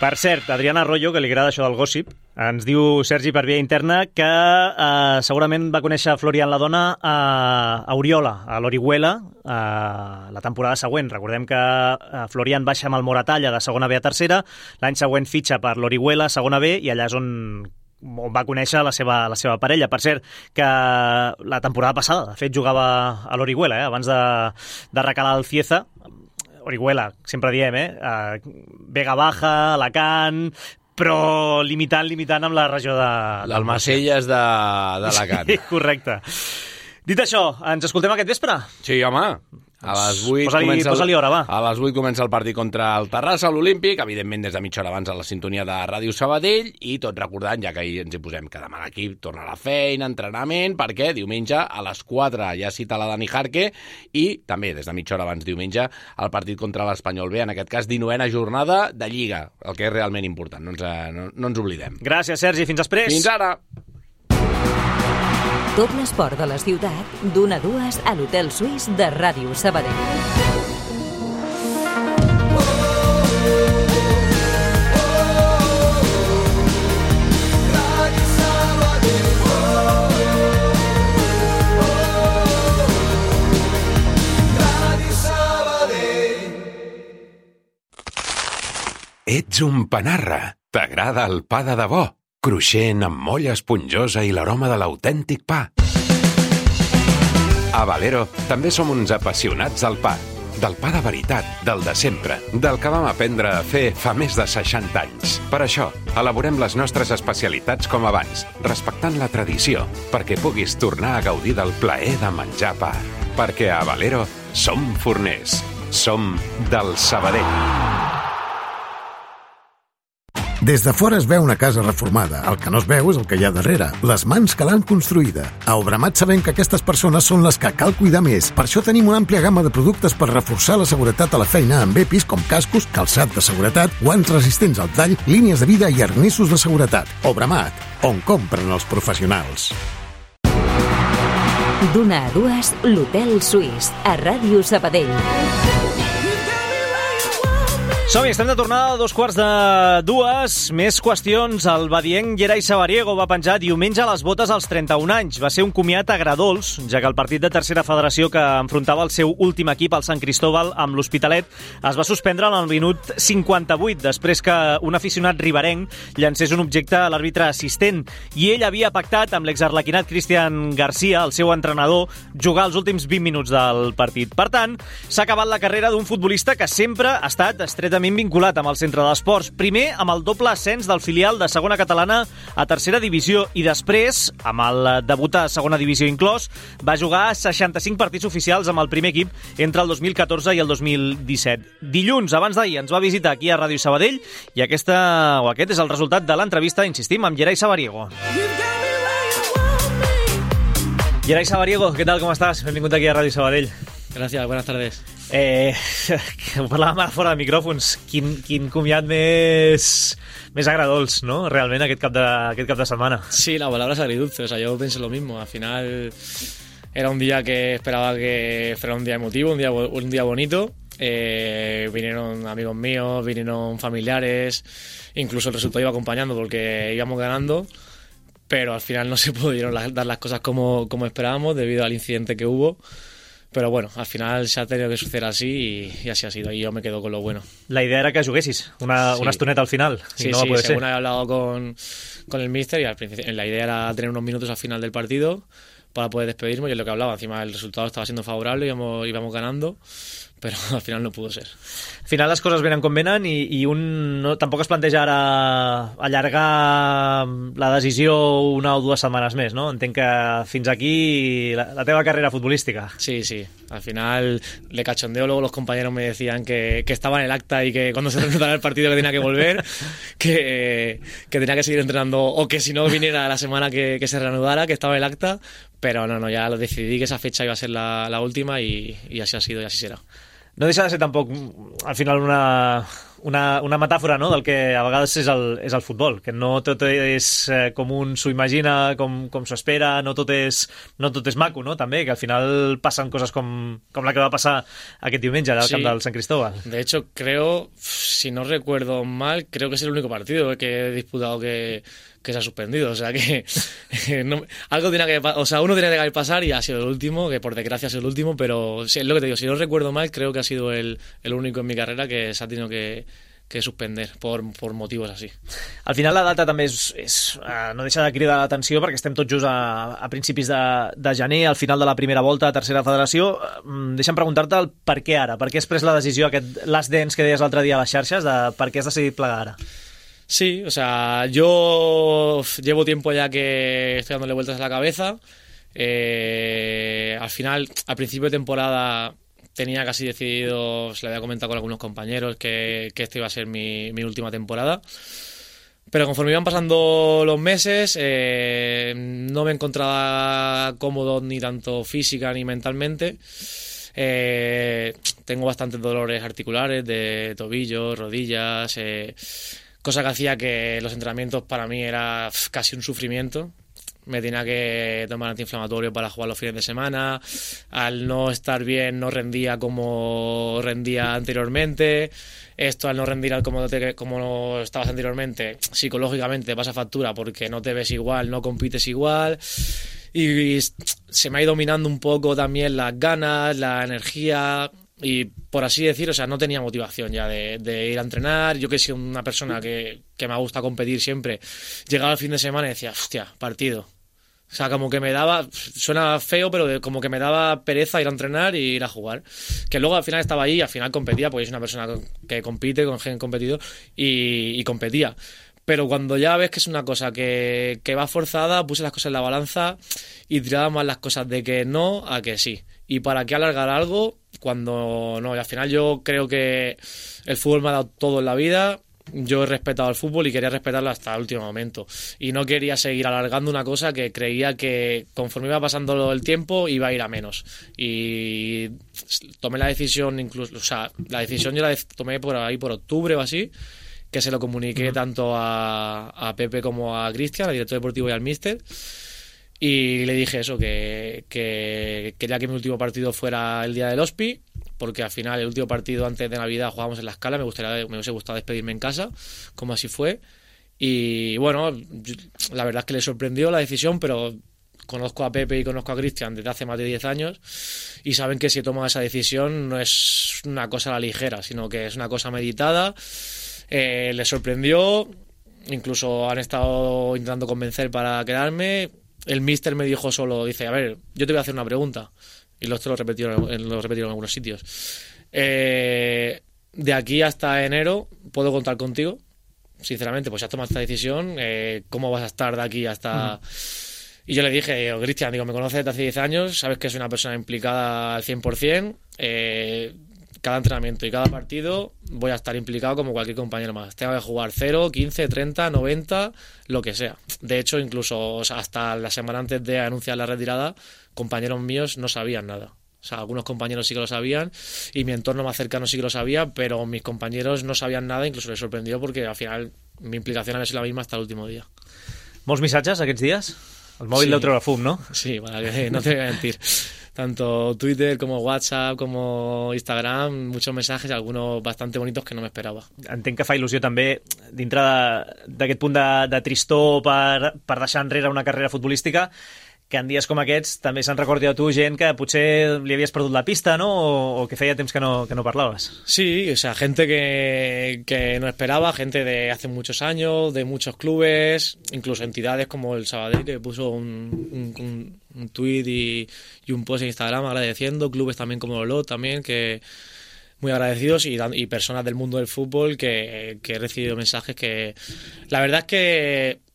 Per cert, Adriana Arroyo, que li agrada això del gossip, ens diu Sergi per via interna que eh, segurament va conèixer Florian la dona a, a Oriola, a l'Orihuela, eh, la temporada següent. Recordem que eh, Florian baixa amb el Moratalla de segona B a tercera, l'any següent fitxa per l'Orihuela, segona B, i allà és on on va conèixer la seva, la seva parella. Per cert, que la temporada passada, de fet, jugava a l'Orihuela, eh, abans de, de recalar el Cieza. Orihuela, sempre diem, eh? Uh, Vega Baja, Alacant, però limitant, limitant amb la regió de... L'Almacelles d'Alacant. Sí, correcte. Dit això, ens escoltem aquest vespre? Sí, home. A les vuit Posa-li comença, el, posa-li hora, va. a les vuit comença el partit contra el Terrassa, l'Olímpic, evidentment des de mitja hora abans a la sintonia de Ràdio Sabadell, i tot recordant, ja que ahir ens hi posem, que demà l'equip torna a la feina, entrenament, perquè diumenge a les quatre ja cita la Dani Jarque, i també des de mitja hora abans diumenge el partit contra l'Espanyol B, en aquest cas dinovena jornada de Lliga, el que és realment important, no ens, no, no ens oblidem. Gràcies, Sergi, fins després. Fins ara! Tot l'esport de la ciutat, d'una a dues a l'Hotel Suís de Ràdio Sabadell. Ets un panarra. T'agrada el pa de debò? Cruixent, amb molla esponjosa i l'aroma de l'autèntic pa. A Valero també som uns apassionats del pa. Del pa de veritat, del de sempre, del que vam aprendre a fer fa més de seixanta anys. Per això, elaborem les nostres especialitats com abans, respectant la tradició, perquè puguis tornar a gaudir del plaer de menjar pa. Perquè a Valero som forners. Som del Sabadell. Des de fora es veu una casa reformada. El que no es veu és el que hi ha darrere, les mans que l'han construïda. A Obramat sabem que aquestes persones són les que cal cuidar més. Per això tenim una àmplia gamma de productes per reforçar la seguretat a la feina amb E P Is com cascos, calçat de seguretat, guants resistents al tall, línies de vida i arnessos de seguretat. Obramat, on compren els professionals. D'una a dues, l'Hotel Suís, a Ràdio Sabadell. Som-hi, estem de tornada a dos quarts de dues. Més qüestions. El badienc Gerai Sabariego va penjar diumenge les botes als trenta-un anys. Va ser un comiat agradols, ja que el partit de tercera federació que enfrontava el seu últim equip, el Sant Cristóbal, amb l'Hospitalet, es va suspendre en el minut cinquanta-vuit, després que un aficionat riberenc llancés un objecte a l'àrbitre assistent. I ell havia pactat amb l'exarlequinat Cristian Garcia, el seu entrenador, jugar els últims vint minuts del partit. Per tant, s'ha acabat la carrera d'un futbolista que sempre ha estat estretament vinculat amb el centre d'esports. Primer amb el doble ascens del filial de segona catalana a tercera divisió i després, amb el debut a segona divisió inclòs, va jugar seixanta-cinc partits oficials amb el primer equip entre el dos mil catorze i el dos mil disset. Dilluns, abans d'ahir, ens va visitar aquí a Ràdio Sabadell i aquesta, o aquest és el resultat de l'entrevista, insistim, amb Gerai Sabariego. Gerai Sabariego, què tal, com estàs? Benvingut aquí a Ràdio Sabadell. Gràcies, buenas tardes. Eh, ho parlàvem ara fora de micròfons. Quin, quin comiat més, més agradols, ¿no? Realment, aquest cap, de, aquest cap de setmana. Sí, la palabra es agridulce. O sea, yo pensé lo mismo. Al final era un día que esperaba que fuera un día emotivo, un día, un día bonito. Eh, vinieron amigos míos, vinieron familiares. Incluso el resultado iba acompañando porque íbamos ganando. Pero al final no se pudieron dar las cosas como, como esperábamos debido al incidente que hubo. Pero bueno, al final se ha tenido que suceder así y, y así ha sido, y yo me quedo con lo bueno. La idea era que juguessis una, sí. una estoneta al final. Sí, no sí, puede según ser. he hablado con, con el míster, y al principio la idea era tener unos minutos al final del partido para poder despedirme, y es lo que hablaba. Encima el resultado estaba siendo favorable, íbamos, íbamos ganando, però al final no pudo ser. Al final les coses venen com venen i, i un no, tampoc es planteja ara allargar la decisió una o dues setmanes més, ¿no? Entenc que fins aquí la, la teva carrera futbolística. Sí, sí. Al final le cachondeo, luego los compañeros me decían que, que estaba en el acta y que cuando se reanudara el partido que tenía que volver, que, que tenía que seguir entrenando o que si no viniera la semana que, que se reanudara, que estaba en el acta, pero no, no, ya lo decidí que esa fecha iba a ser la, la última y, y así ha sido y así será. No deixa de ser tampoc, al final, una, una, una metàfora, no?, del que a vegades és el, és el futbol, que no tot és eh, com un s'ho imagina, com, com s'ho espera, no tot, és, no tot és maco, no?, també, que al final passen coses com, com la que va passar aquest diumenge al sí. camp del Sant Cristóbal. De hecho, creo, si no recuerdo mal, creo que es el único partido que he disputado que... que se ha suspendido, o sea que no, algo tenía que, o sea, uno tenía que pasar y ha sido el último, que por desgracia ha sido el último, pero sí, es lo que te digo, si no recuerdo mal, creo que ha sido el, el único en mi carrera que se ha tenido que, que suspender por, por motivos así. Al final la data també és, és uh, no deixa de cridar l'atenció perquè estem tots just a, a principis de, de gener, al final de la primera volta a tercera federació. Uh, deixa'm preguntar-te el per què ara, per què has pres la decisió, aquest last dance que deies l'altre dia a les xarxes, de per què has decidit plegar ara? Sí, o sea, yo llevo tiempo ya que estoy dándole vueltas a la cabeza. Eh, al final, al principio de temporada, tenía casi decidido, se lo había comentado con algunos compañeros, que, que esta iba a ser mi, mi última temporada. Pero conforme iban pasando los meses, eh, no me encontraba cómodo ni tanto física ni mentalmente. Eh, tengo bastantes dolores articulares de tobillos, rodillas, eh, cosa que hacía que los entrenamientos para mí era pf, casi un sufrimiento. Me tenía que tomar antiinflamatorio para jugar los fines de semana. Al no estar bien no rendía como rendía anteriormente. Esto al no rendir como, te, como estabas anteriormente, psicológicamente pasa factura porque no te ves igual, no compites igual. Y se me ha ido dominando un poco también las ganas, la energía y, por así decir, o sea, no tenía motivación ya de, de ir a entrenar. Yo que soy una persona que, que me gusta competir siempre, llegaba el fin de semana y decía, hostia, partido. O sea, como que me daba, suena feo, pero como que me daba pereza ir a entrenar y ir a jugar. Que luego al final estaba ahí y al final competía, porque es una persona que compite, con gen competidor, y, y competía. Pero cuando ya ves que es una cosa que, que va forzada, puse las cosas en la balanza y tiraba más las cosas de que no a que sí. ¿Y para qué alargar algo cuando no? Y al final yo creo que el fútbol me ha dado todo en la vida. Yo he respetado al fútbol y quería respetarlo hasta el último momento. Y no quería seguir alargando una cosa que creía que conforme iba pasando el tiempo iba a ir a menos. Y tomé la decisión, incluso, o sea, la decisión yo la tomé por ahí por octubre o así, que se lo comuniqué uh-huh. tanto a, a Pepe como a Cristian, al director deportivo y al míster. Y le dije eso, que, que quería que mi último partido fuera el día del Hospi, porque al final el último partido antes de Navidad jugábamos en La Scala, me gustaría, me hubiese gustado despedirme en casa, como así fue. Y bueno, la verdad es que le sorprendió la decisión, pero conozco a Pepe y conozco a Cristian desde hace más de diez años y saben que si he tomado esa decisión no es una cosa a la ligera, sino que es una cosa meditada. Eh, les sorprendió, incluso han estado intentando convencer para quedarme. El míster me dijo solo, dice, a ver, yo te voy a hacer una pregunta. Y lo, lo repetieron, lo repetieron en algunos sitios. Eh, de aquí hasta enero, ¿puedo contar contigo? Sinceramente, pues ya has tomado esta decisión. Eh, ¿Cómo vas a estar de aquí hasta...? Uh-huh. Y yo le dije, Cristian, digo, me conoces desde hace diez años, sabes que soy una persona implicada al cien por ciento. Eh, cada entrenamiento y cada partido voy a estar implicado como cualquier compañero más. Tengo que jugar cero, quince, treinta, noventa, lo que sea. De hecho, incluso o sea, hasta la semana antes de anunciar la retirada, compañeros míos no sabían nada. O sea, algunos compañeros sí que lo sabían y mi entorno más cercano sí que lo sabía, pero mis compañeros no sabían nada, incluso les sorprendió porque al final mi implicación había sido la misma hasta el último día. Molts missatges aquests dies? El mòbil sí. deu treure fum, no? Sí, para que no te voy a mentir. Tanto Twitter como WhatsApp como Instagram, muchos mensajes, algunos bastante bonitos que no me esperava. Entenc que fa il·lusió també, dintre d'aquest punt de, de tristor per, per deixar enrere una carrera futbolística, que en dies com aquests també se'n recordi a tu gent que potser li havies perdut la pista, ¿no? O, o que feia temps que no, que no parlaves. Sí, o sea, gente que, que no esperaba, gente de hace muchos años, de muchos clubes, incluso entidades como el Sabadell, que puso un, un, un, un tuit y, y un post en Instagram agradeciendo, clubes también como Olot también, que muy agradecidos y, y personas del mundo del fútbol que, que he recibido mensajes que la verdad es que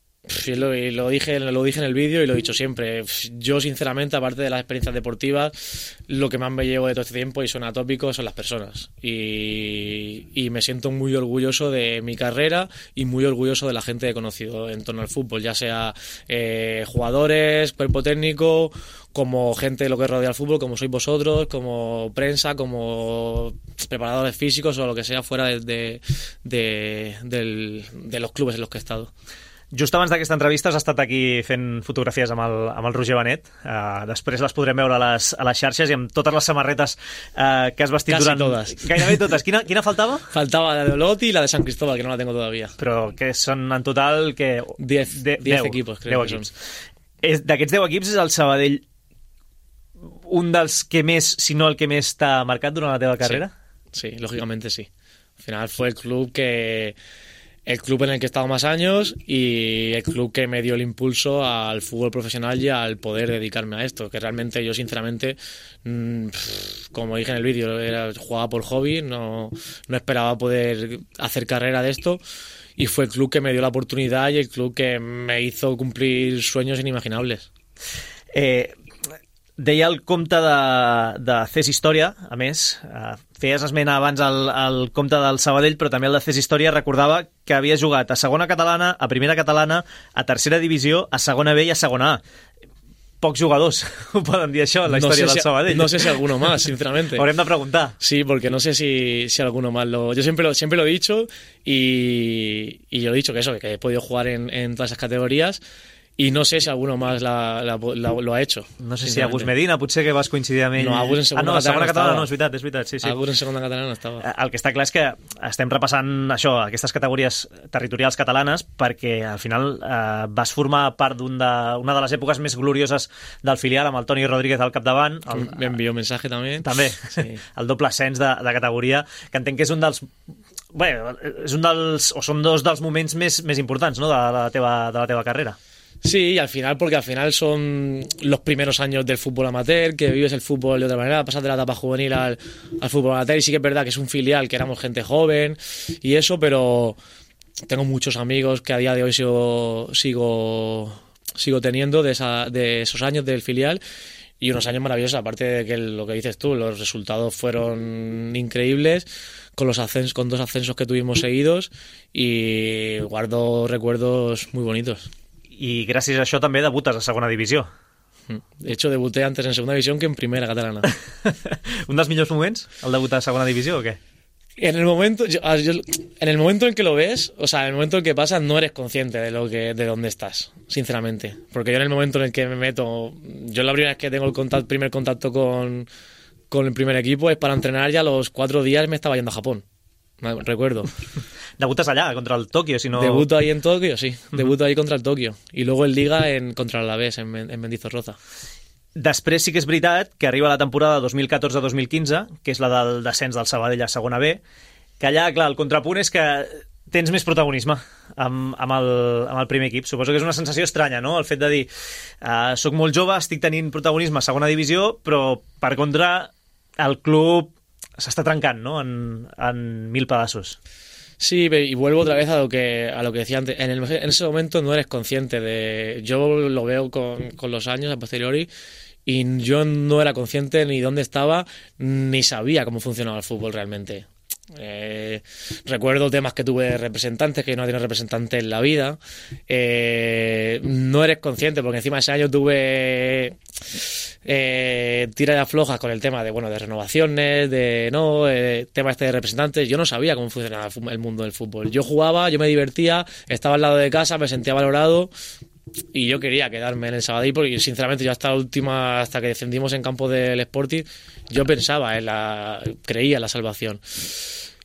Lo, lo, dije, lo dije en el vídeo y lo he dicho siempre. Yo, sinceramente, aparte de las experiencias deportivas, lo que más me llevo de todo este tiempo, y suena tópico, son las personas. Y, y me siento muy orgulloso de mi carrera y muy orgulloso de la gente que he conocido en torno al fútbol, ya sea eh, jugadores, cuerpo técnico, como gente de lo que rodea el fútbol, como sois vosotros, como prensa, como preparadores físicos o lo que sea fuera de, de, de, de, de los clubes en los que he estado. Just abans d'aquesta entrevista has estat aquí fent fotografies amb el, amb el Roger Benet. Uh, després les podrem veure a les, a les xarxes i amb totes les samarretes uh, que has vestit Casi durant... todas. Gairebé totes. Quina, quina faltava? Faltaba la de Olot y la de San Cristóbal, que no la tengo todavía. Però que són en total... que diez, de, diez deu, equipos, creo deu que equips. És, d'aquests deu equips és el Sabadell un dels que més, si no el que més t'ha marcat durant la teva carrera? Sí, sí, lógicamente sí. Al final fue el club que... el club en el que he estado más años y el club que me dio el impulso al fútbol profesional y al poder dedicarme a esto, que realmente yo sinceramente, mmm, como dije en el vídeo, era, jugaba por hobby, no, no esperaba poder hacer carrera de esto y fue el club que me dio la oportunidad y el club que me hizo cumplir sueños inimaginables. Eh... Deia el compte de, de Ces Història, a més, eh, feies esment abans el, el compte del Sabadell, però també el de Ces Història recordava que havia jugat a segona catalana, a primera catalana, a tercera divisió, a segona B i a segona A. Pocs jugadors ho poden dir això en la no història sé del si, Sabadell. No sé si alguno más, sinceramente. Haurem de preguntar. Sí, porque no sé si, si alguno más lo... Yo siempre lo, siempre lo he dicho y, y yo he dicho que eso, que he podido jugar en, en todas esas categorías y no sé si alguno más la, la, la, lo ha hecho. No sé si Agus Medina, potser que vas coincidir amb ell. No, Agus en segona ah, no, catalana, segona catalana estava. no, és veritat, és veritat, sí, sí. Agus en segona catalana no estava. El que està clar és que estem repassant això, aquestes categories territorials catalanes, perquè al final eh, vas formar part d'una de, una de les èpoques més glorioses del filial, amb el Toni Rodríguez al capdavant. El, Me envió mensaje també. També, sí. El doble ascens de, de categoria, que entenc que és un dels... Bé, és un dels, o són dos dels moments més, més importants, no?, de, de, la teva, de la teva carrera. Sí, y al final, porque al final son los primeros años del fútbol amateur, que vives el fútbol de otra manera, pasas de la etapa juvenil al, al fútbol amateur, y sí que es verdad que es un filial, que éramos gente joven y eso, pero tengo muchos amigos que a día de hoy sigo sigo, sigo teniendo de, esa, de esos años del filial, y unos años maravillosos, aparte de que lo que dices tú, los resultados fueron increíbles, con los ascensos, con dos ascensos que tuvimos seguidos, y guardo recuerdos muy bonitos. I gràcies a això també debutes a segona divisió. De hecho, debuté antes en segunda división que en primera catalana. ¿Un dels millors moments, el debut a segona divisió o qué? En el momento, yo, yo, en el momento en que lo ves, o sea, en el momento en que pasa, no eres consciente de lo que, de dónde estás, sinceramente. Porque yo en el momento en el que me meto, yo la primera vez que tengo el contacto, primer contacto con, con el primer equipo es para entrenar, ya a los cuatro días me estaba yendo a Japón. Recuerdo. Debutas allá contra el Tokio, si no... Debuto ahí en Tokio, sí. Debuto ahí contra el Tokio. Y luego en Liga en, contra el Alavés, en, en Mendizorroza. Després sí que és veritat que arriba la temporada dos mil catorze dos mil quinze, que és la del descens del Sabadell a segona B, que allà, clar, el contrapunt és que tens més protagonisme amb, amb, el, amb el primer equip. Suposo que és una sensació estranya, no?, el fet de dir uh, soc molt jove, estic tenint protagonisme a segona divisió, però, per contra, el club s'està trencant, no?, en, en mil pedazos. Sí, y vuelvo otra vez a lo que a lo que decía antes. En, el, en ese momento no eres consciente de... Yo lo veo con, con los años, a posteriori, y yo no era consciente ni dónde estaba, ni sabía cómo funcionaba el fútbol realmente. Eh, recuerdo temas que tuve de representantes, que yo no tenía representante en la vida. Eh, no eres consciente, porque encima ese año tuve... Eh, tira de aflojas con el tema de bueno de renovaciones, de no eh, tema este de representantes. Yo no sabía cómo funcionaba el mundo del fútbol. Yo jugaba, yo me divertía, estaba al lado de casa, me sentía valorado y yo quería quedarme en el Sabadell, porque sinceramente yo hasta la última, hasta que descendimos en campo del Sporting, yo pensaba en la, creía en la salvación.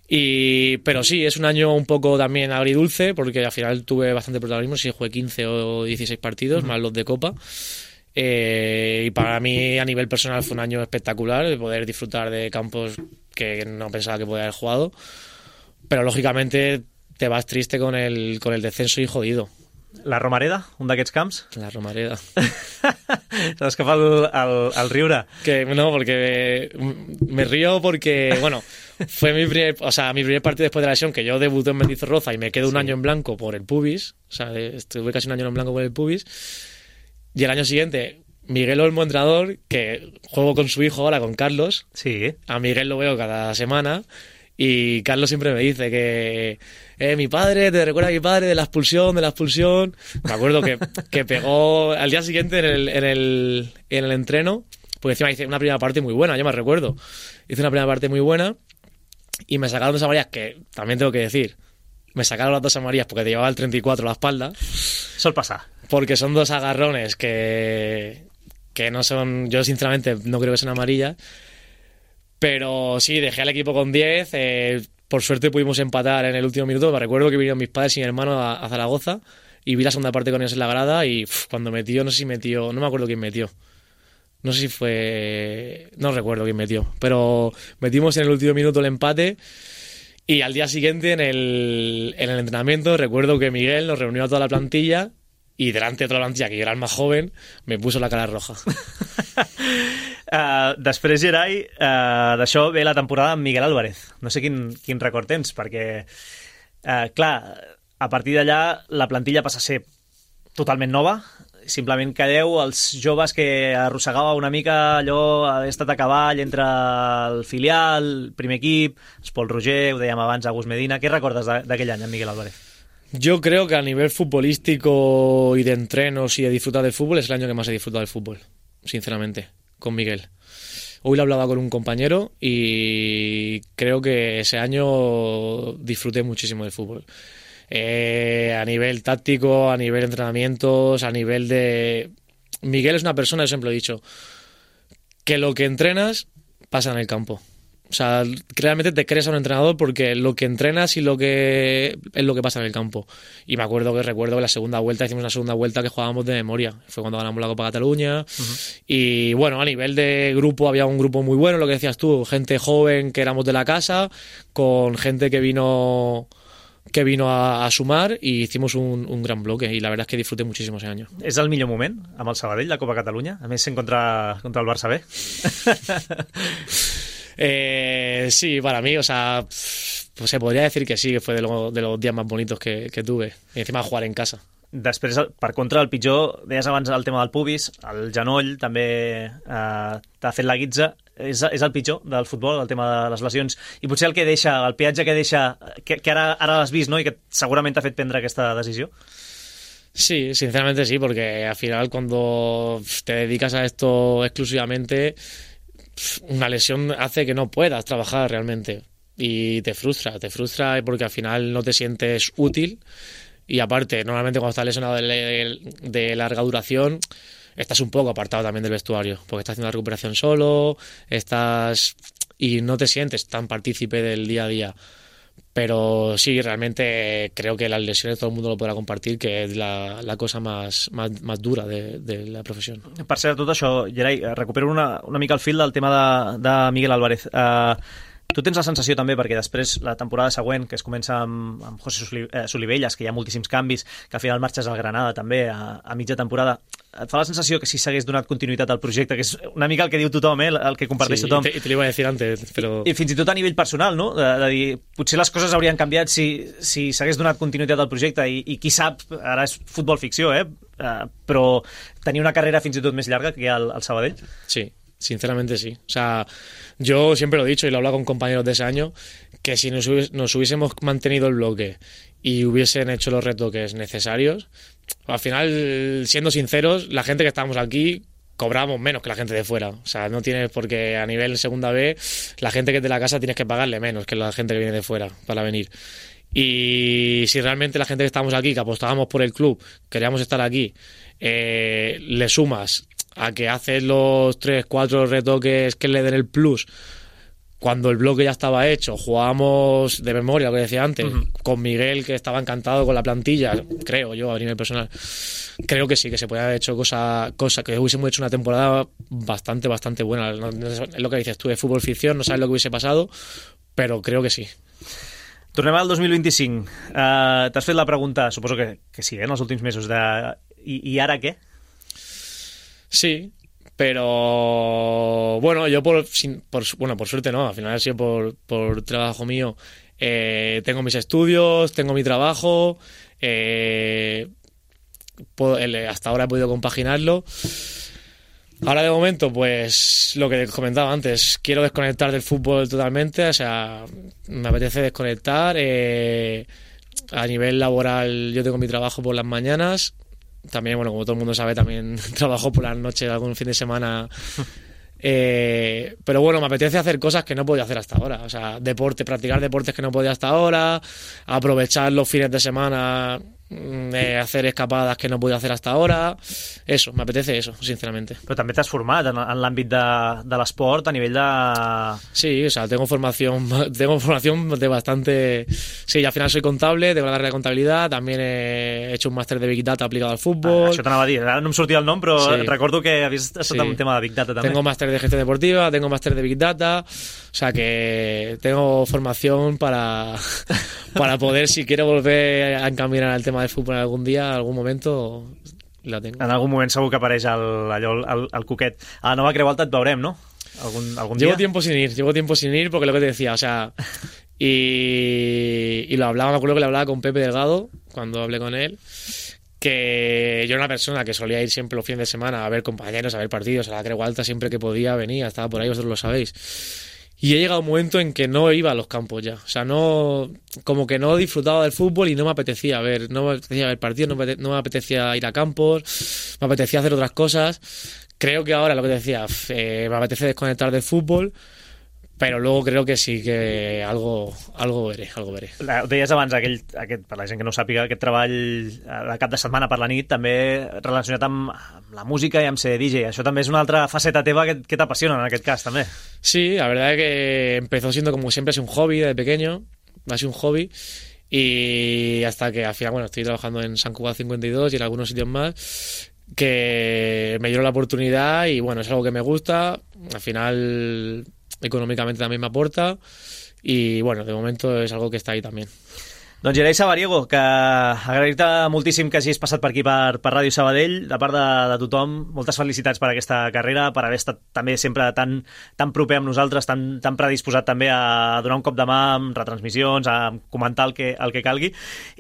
Y, pero sí, es un año un poco también agridulce, porque al final tuve bastante protagonismo, sí jugué quince o dieciséis partidos, uh-huh. más los de Copa. Eh, y para mí a nivel personal fue un año espectacular, de poder disfrutar de campos que no pensaba que podía haber jugado, pero lógicamente te vas triste con el, con el descenso y jodido. La Romareda, un d'aquests camps? La Romareda. S'ha escapat el, el, el riure. Que no, porque me, me río porque, bueno, fue mi primer, o sea, mi primer partido después de la lesión, que yo debuté en Mendizorroza y me quedo un sí. año en blanco por el pubis, o sea, estuve casi un año en blanco por el pubis. Y el año siguiente, Miguel Olmo, entrenador, que juego con su hijo ahora, con Carlos. Sí. A Miguel lo veo cada semana. Y Carlos siempre me dice que eh, mi padre, te recuerda a mi padre de la expulsión, de la expulsión. Me acuerdo que, que pegó al día siguiente en el, en el, en el entreno, porque encima hice una primera parte muy buena, yo me recuerdo. Hice una primera parte muy buena y me sacaron dos amarillas, que también tengo que decir, me sacaron las dos amarillas porque te llevaba el treinta y cuatro a la espalda. Sol pasa. Porque son dos agarrones que, que no son... Yo sinceramente no creo que sean amarillas. Pero sí, dejé al equipo con diez. Eh, por suerte pudimos empatar en el último minuto. Me recuerdo que vinieron mis padres y mi hermano a, a Zaragoza y vi la segunda parte con ellos en la grada y uf, cuando metió, no sé si metió... No me acuerdo quién metió. No sé si fue... No recuerdo quién metió. Pero metimos en el último minuto el empate. Y al día siguiente en el, en el entrenamiento recuerdo que Miguel nos reunió a toda la plantilla y delante de toda la plantilla, que yo era el más joven, me puso la cara roja. uh, després, Gerai, uh, d'això ve la temporada amb Miguel Álvarez. No sé quin, quin record tens, perquè, uh, clar, a partir d'allà la plantilla passa a ser totalment nova simplement calleu els joves que arrossegava una mica allò, haver estat a cavall entre el filial, el primer equip, el Pol Roger, ho dèiem abans, Agus Medina. Què recordes d'aquell any, en Miguel Álvarez? Yo creo que a nivel futbolístico y de entrenos y de disfrutar del fútbol es el año que más he disfrutado del fútbol, sinceramente, con Miguel. Hoy lo hablaba con un compañero y creo que ese año disfruté muchísimo del fútbol. Eh, a nivel táctico, a nivel de entrenamientos, a nivel de... Miguel es una persona, yo siempre lo he dicho, que lo que entrenas pasa en el campo. O sea, realmente te crees a un entrenador porque lo que entrenas y lo que es lo que pasa en el campo. Y me acuerdo que recuerdo que la segunda vuelta, hicimos una segunda vuelta que jugábamos de memoria. Fue cuando ganamos la Copa Cataluña. Uh-huh. Y bueno, a nivel de grupo había un grupo muy bueno, lo que decías tú, gente joven que éramos de la casa, con gente que vino... que vino a, a sumar i hicimos un, un gran bloque y la verdad es que disfruté muchísimo ese año. És el millor moment amb el Sabadell, la Copa Catalunya? A més, sent contra, contra el Barça B. eh, sí, para mí, o sea, pues se podría decir que sí, que fue de, lo, de los días más bonitos que, que tuve. Y encima jugar en casa. Després, per contra, el pitjor, deies abans el tema del pubis, el genoll també eh, t'ha fet la guitza, és, és el pitjor del futbol, el tema de les lesions, i potser el que deixa, el peatge que deixa, que, que ara, ara l'has vist, no?, i que segurament t'ha fet prendre aquesta decisió. Sí, sinceramente sí, porque al final cuando te dedicas a esto exclusivamente, una lesión hace que no puedas trabajar realmente y te frustra, te frustra porque al final no te sientes útil. Y aparte, normalmente cuando estás lesionado de, de larga duración, estás un poco apartado también del vestuario, porque estás haciendo la recuperación solo, estás y no te sientes tan partícipe del día a día. Pero sí, realmente creo que las lesiones todo el mundo lo podrà compartir, que és la, la cosa más, más, más dura de, de la professió. Per cert, tot això, Gerai, recupero una, una mica el fil del tema de, de Miguel Álvarez. Uh, Tu tens la sensació també, perquè després la temporada següent, que es comença amb, amb José Solivelles, que hi ha moltíssims canvis, que al final marxes al Granada també a, a mitja temporada, et fa la sensació que si s'hagués donat continuïtat al projecte, que és una mica el que diu tothom, eh, el que comparteix sí, tothom. I te, te l'iba a dir antes, però... I, I fins i tot a nivell personal, no? De, de dir, potser les coses haurien canviat si, si s'hagués donat continuïtat al projecte i, i qui sap, ara és futbol ficció, eh? Uh, però tenir una carrera fins i tot més llarga que hi ha al, al Sabadell. Sí. Sinceramente sí. O sea, yo siempre lo he dicho y lo he hablado con compañeros de ese año, que si nos, hubies, nos hubiésemos mantenido el bloque y hubiesen hecho los retoques necesarios, al final, siendo sinceros, la gente que estábamos aquí cobramos menos que la gente de fuera. O sea, no tienes porque a nivel segunda B, la gente que es de la casa tienes que pagarle menos que la gente que viene de fuera para venir. Y si realmente la gente que estamos aquí, que apostábamos por el club, queríamos estar aquí, eh, le sumas a que haces los tres, cuatro retoques que le den el plus cuando el bloque ya estaba hecho, jugábamos de memoria, lo que decía antes, uh-huh. con Miguel, que estaba encantado con la plantilla, creo yo, a nivel personal, creo que sí, que se podía haber hecho cosa, cosa que hubiésemos hecho una temporada bastante, bastante buena. No, no, es lo que dices tú, de fútbol ficción, no sabes lo que hubiese pasado, pero creo que sí. Tornem al dos mil vint-i-cinc. Uh, T'has fet la pregunta, suposo que, que sí, eh, en els últims mesos, de i, i ara què? Sí, pero bueno, yo por, por bueno por suerte no, al final ha sido por, por trabajo mío. Eh, tengo mis estudios, tengo mi trabajo, eh, puedo, hasta ahora he podido compaginarlo. Ahora de momento, pues lo que comentaba antes, quiero desconectar del fútbol totalmente, o sea, me apetece desconectar. Eh, a nivel laboral yo tengo mi trabajo por las mañanas. También, bueno, como todo el mundo sabe, también trabajo por las noches, algún fin de semana. Eh, pero bueno, me apetece hacer cosas que no podía hacer hasta ahora. O sea, deporte, practicar deportes que no podía hasta ahora, aprovechar los fines de semana, eh, hacer escapadas que no podía hacer hasta ahora. Eso, me apetece eso, sinceramente. Però també t'has format en, en l'àmbit de, de l'esport a nivell de... Sí, o sea, tengo formación, tengo formación de bastante... Sí, al final soy contable, tengo la carrera de contabilidad, también he hecho un máster de Big Data aplicado al fútbol. Ah, això t'anava a dir, ara no em sortia el nom, però sí. Recordo que havies estat sí. en un tema de Big Data també. Tengo máster de gestión deportiva, tengo máster de Big Data, o sea que tengo formación para, para poder, si quiero volver a encaminar al tema del fútbol en algún día, algún momento... La tengo. En algun moment segur que apareix el, allò, el, el Cuquet. A la nova Creu Alta et veurem, ¿no? Algun, algun llevo día. tiempo sin ir, llevo tiempo sin ir porque lo que te decía, o sea, y, y lo hablaba, me acuerdo que le hablaba con Pepe Delgado cuando hablé con él, que yo era una persona que solía ir siempre los fines de semana a ver compañeros, a ver partidos, a la Creu Alta siempre que podía venía, estaba por ahí, vosotros lo sabéis. Y he llegado a un momento en que no iba a los campos ya. O sea, no, como que no disfrutaba del fútbol y no me apetecía ver, no me apetecía ver partidos, no me, no me apetecía ir a campos, me apetecía hacer otras cosas. Creo que ahora, lo que te decía, eh, me apetece desconectar del fútbol, però luego creo que sí que algo, algo veré, algo veré. Ho deies abans, aquell, aquest, per la gent que no ho sàpiga, aquest treball de cap de setmana per la nit també relacionat amb, amb la música i amb ser D J. Això també és una altra faceta teva que, que t'apassiona en aquest cas, també. Sí, la verdad es que empezó siendo como siempre, es un hobby desde pequeño, ha sido un hobby, y hasta que al final, bueno, estoy trabajando en San Cugat cincuenta y dos y en algunos sitios más, que me dieron la oportunidad y bueno, es algo que me gusta, al final econòmicament també m'aporta i bueno, de moment és algo que està ahí també. Doncs Gerai Sabariego, que agrair-te moltíssim que hagis passat per aquí per, per Ràdio Sabadell, de part de, de tothom, moltes felicitats per aquesta carrera, per haver estat també sempre tan, tan proper amb nosaltres, tan, tan predisposat també a donar un cop de mà amb retransmissions, a comentar el que, el que calgui,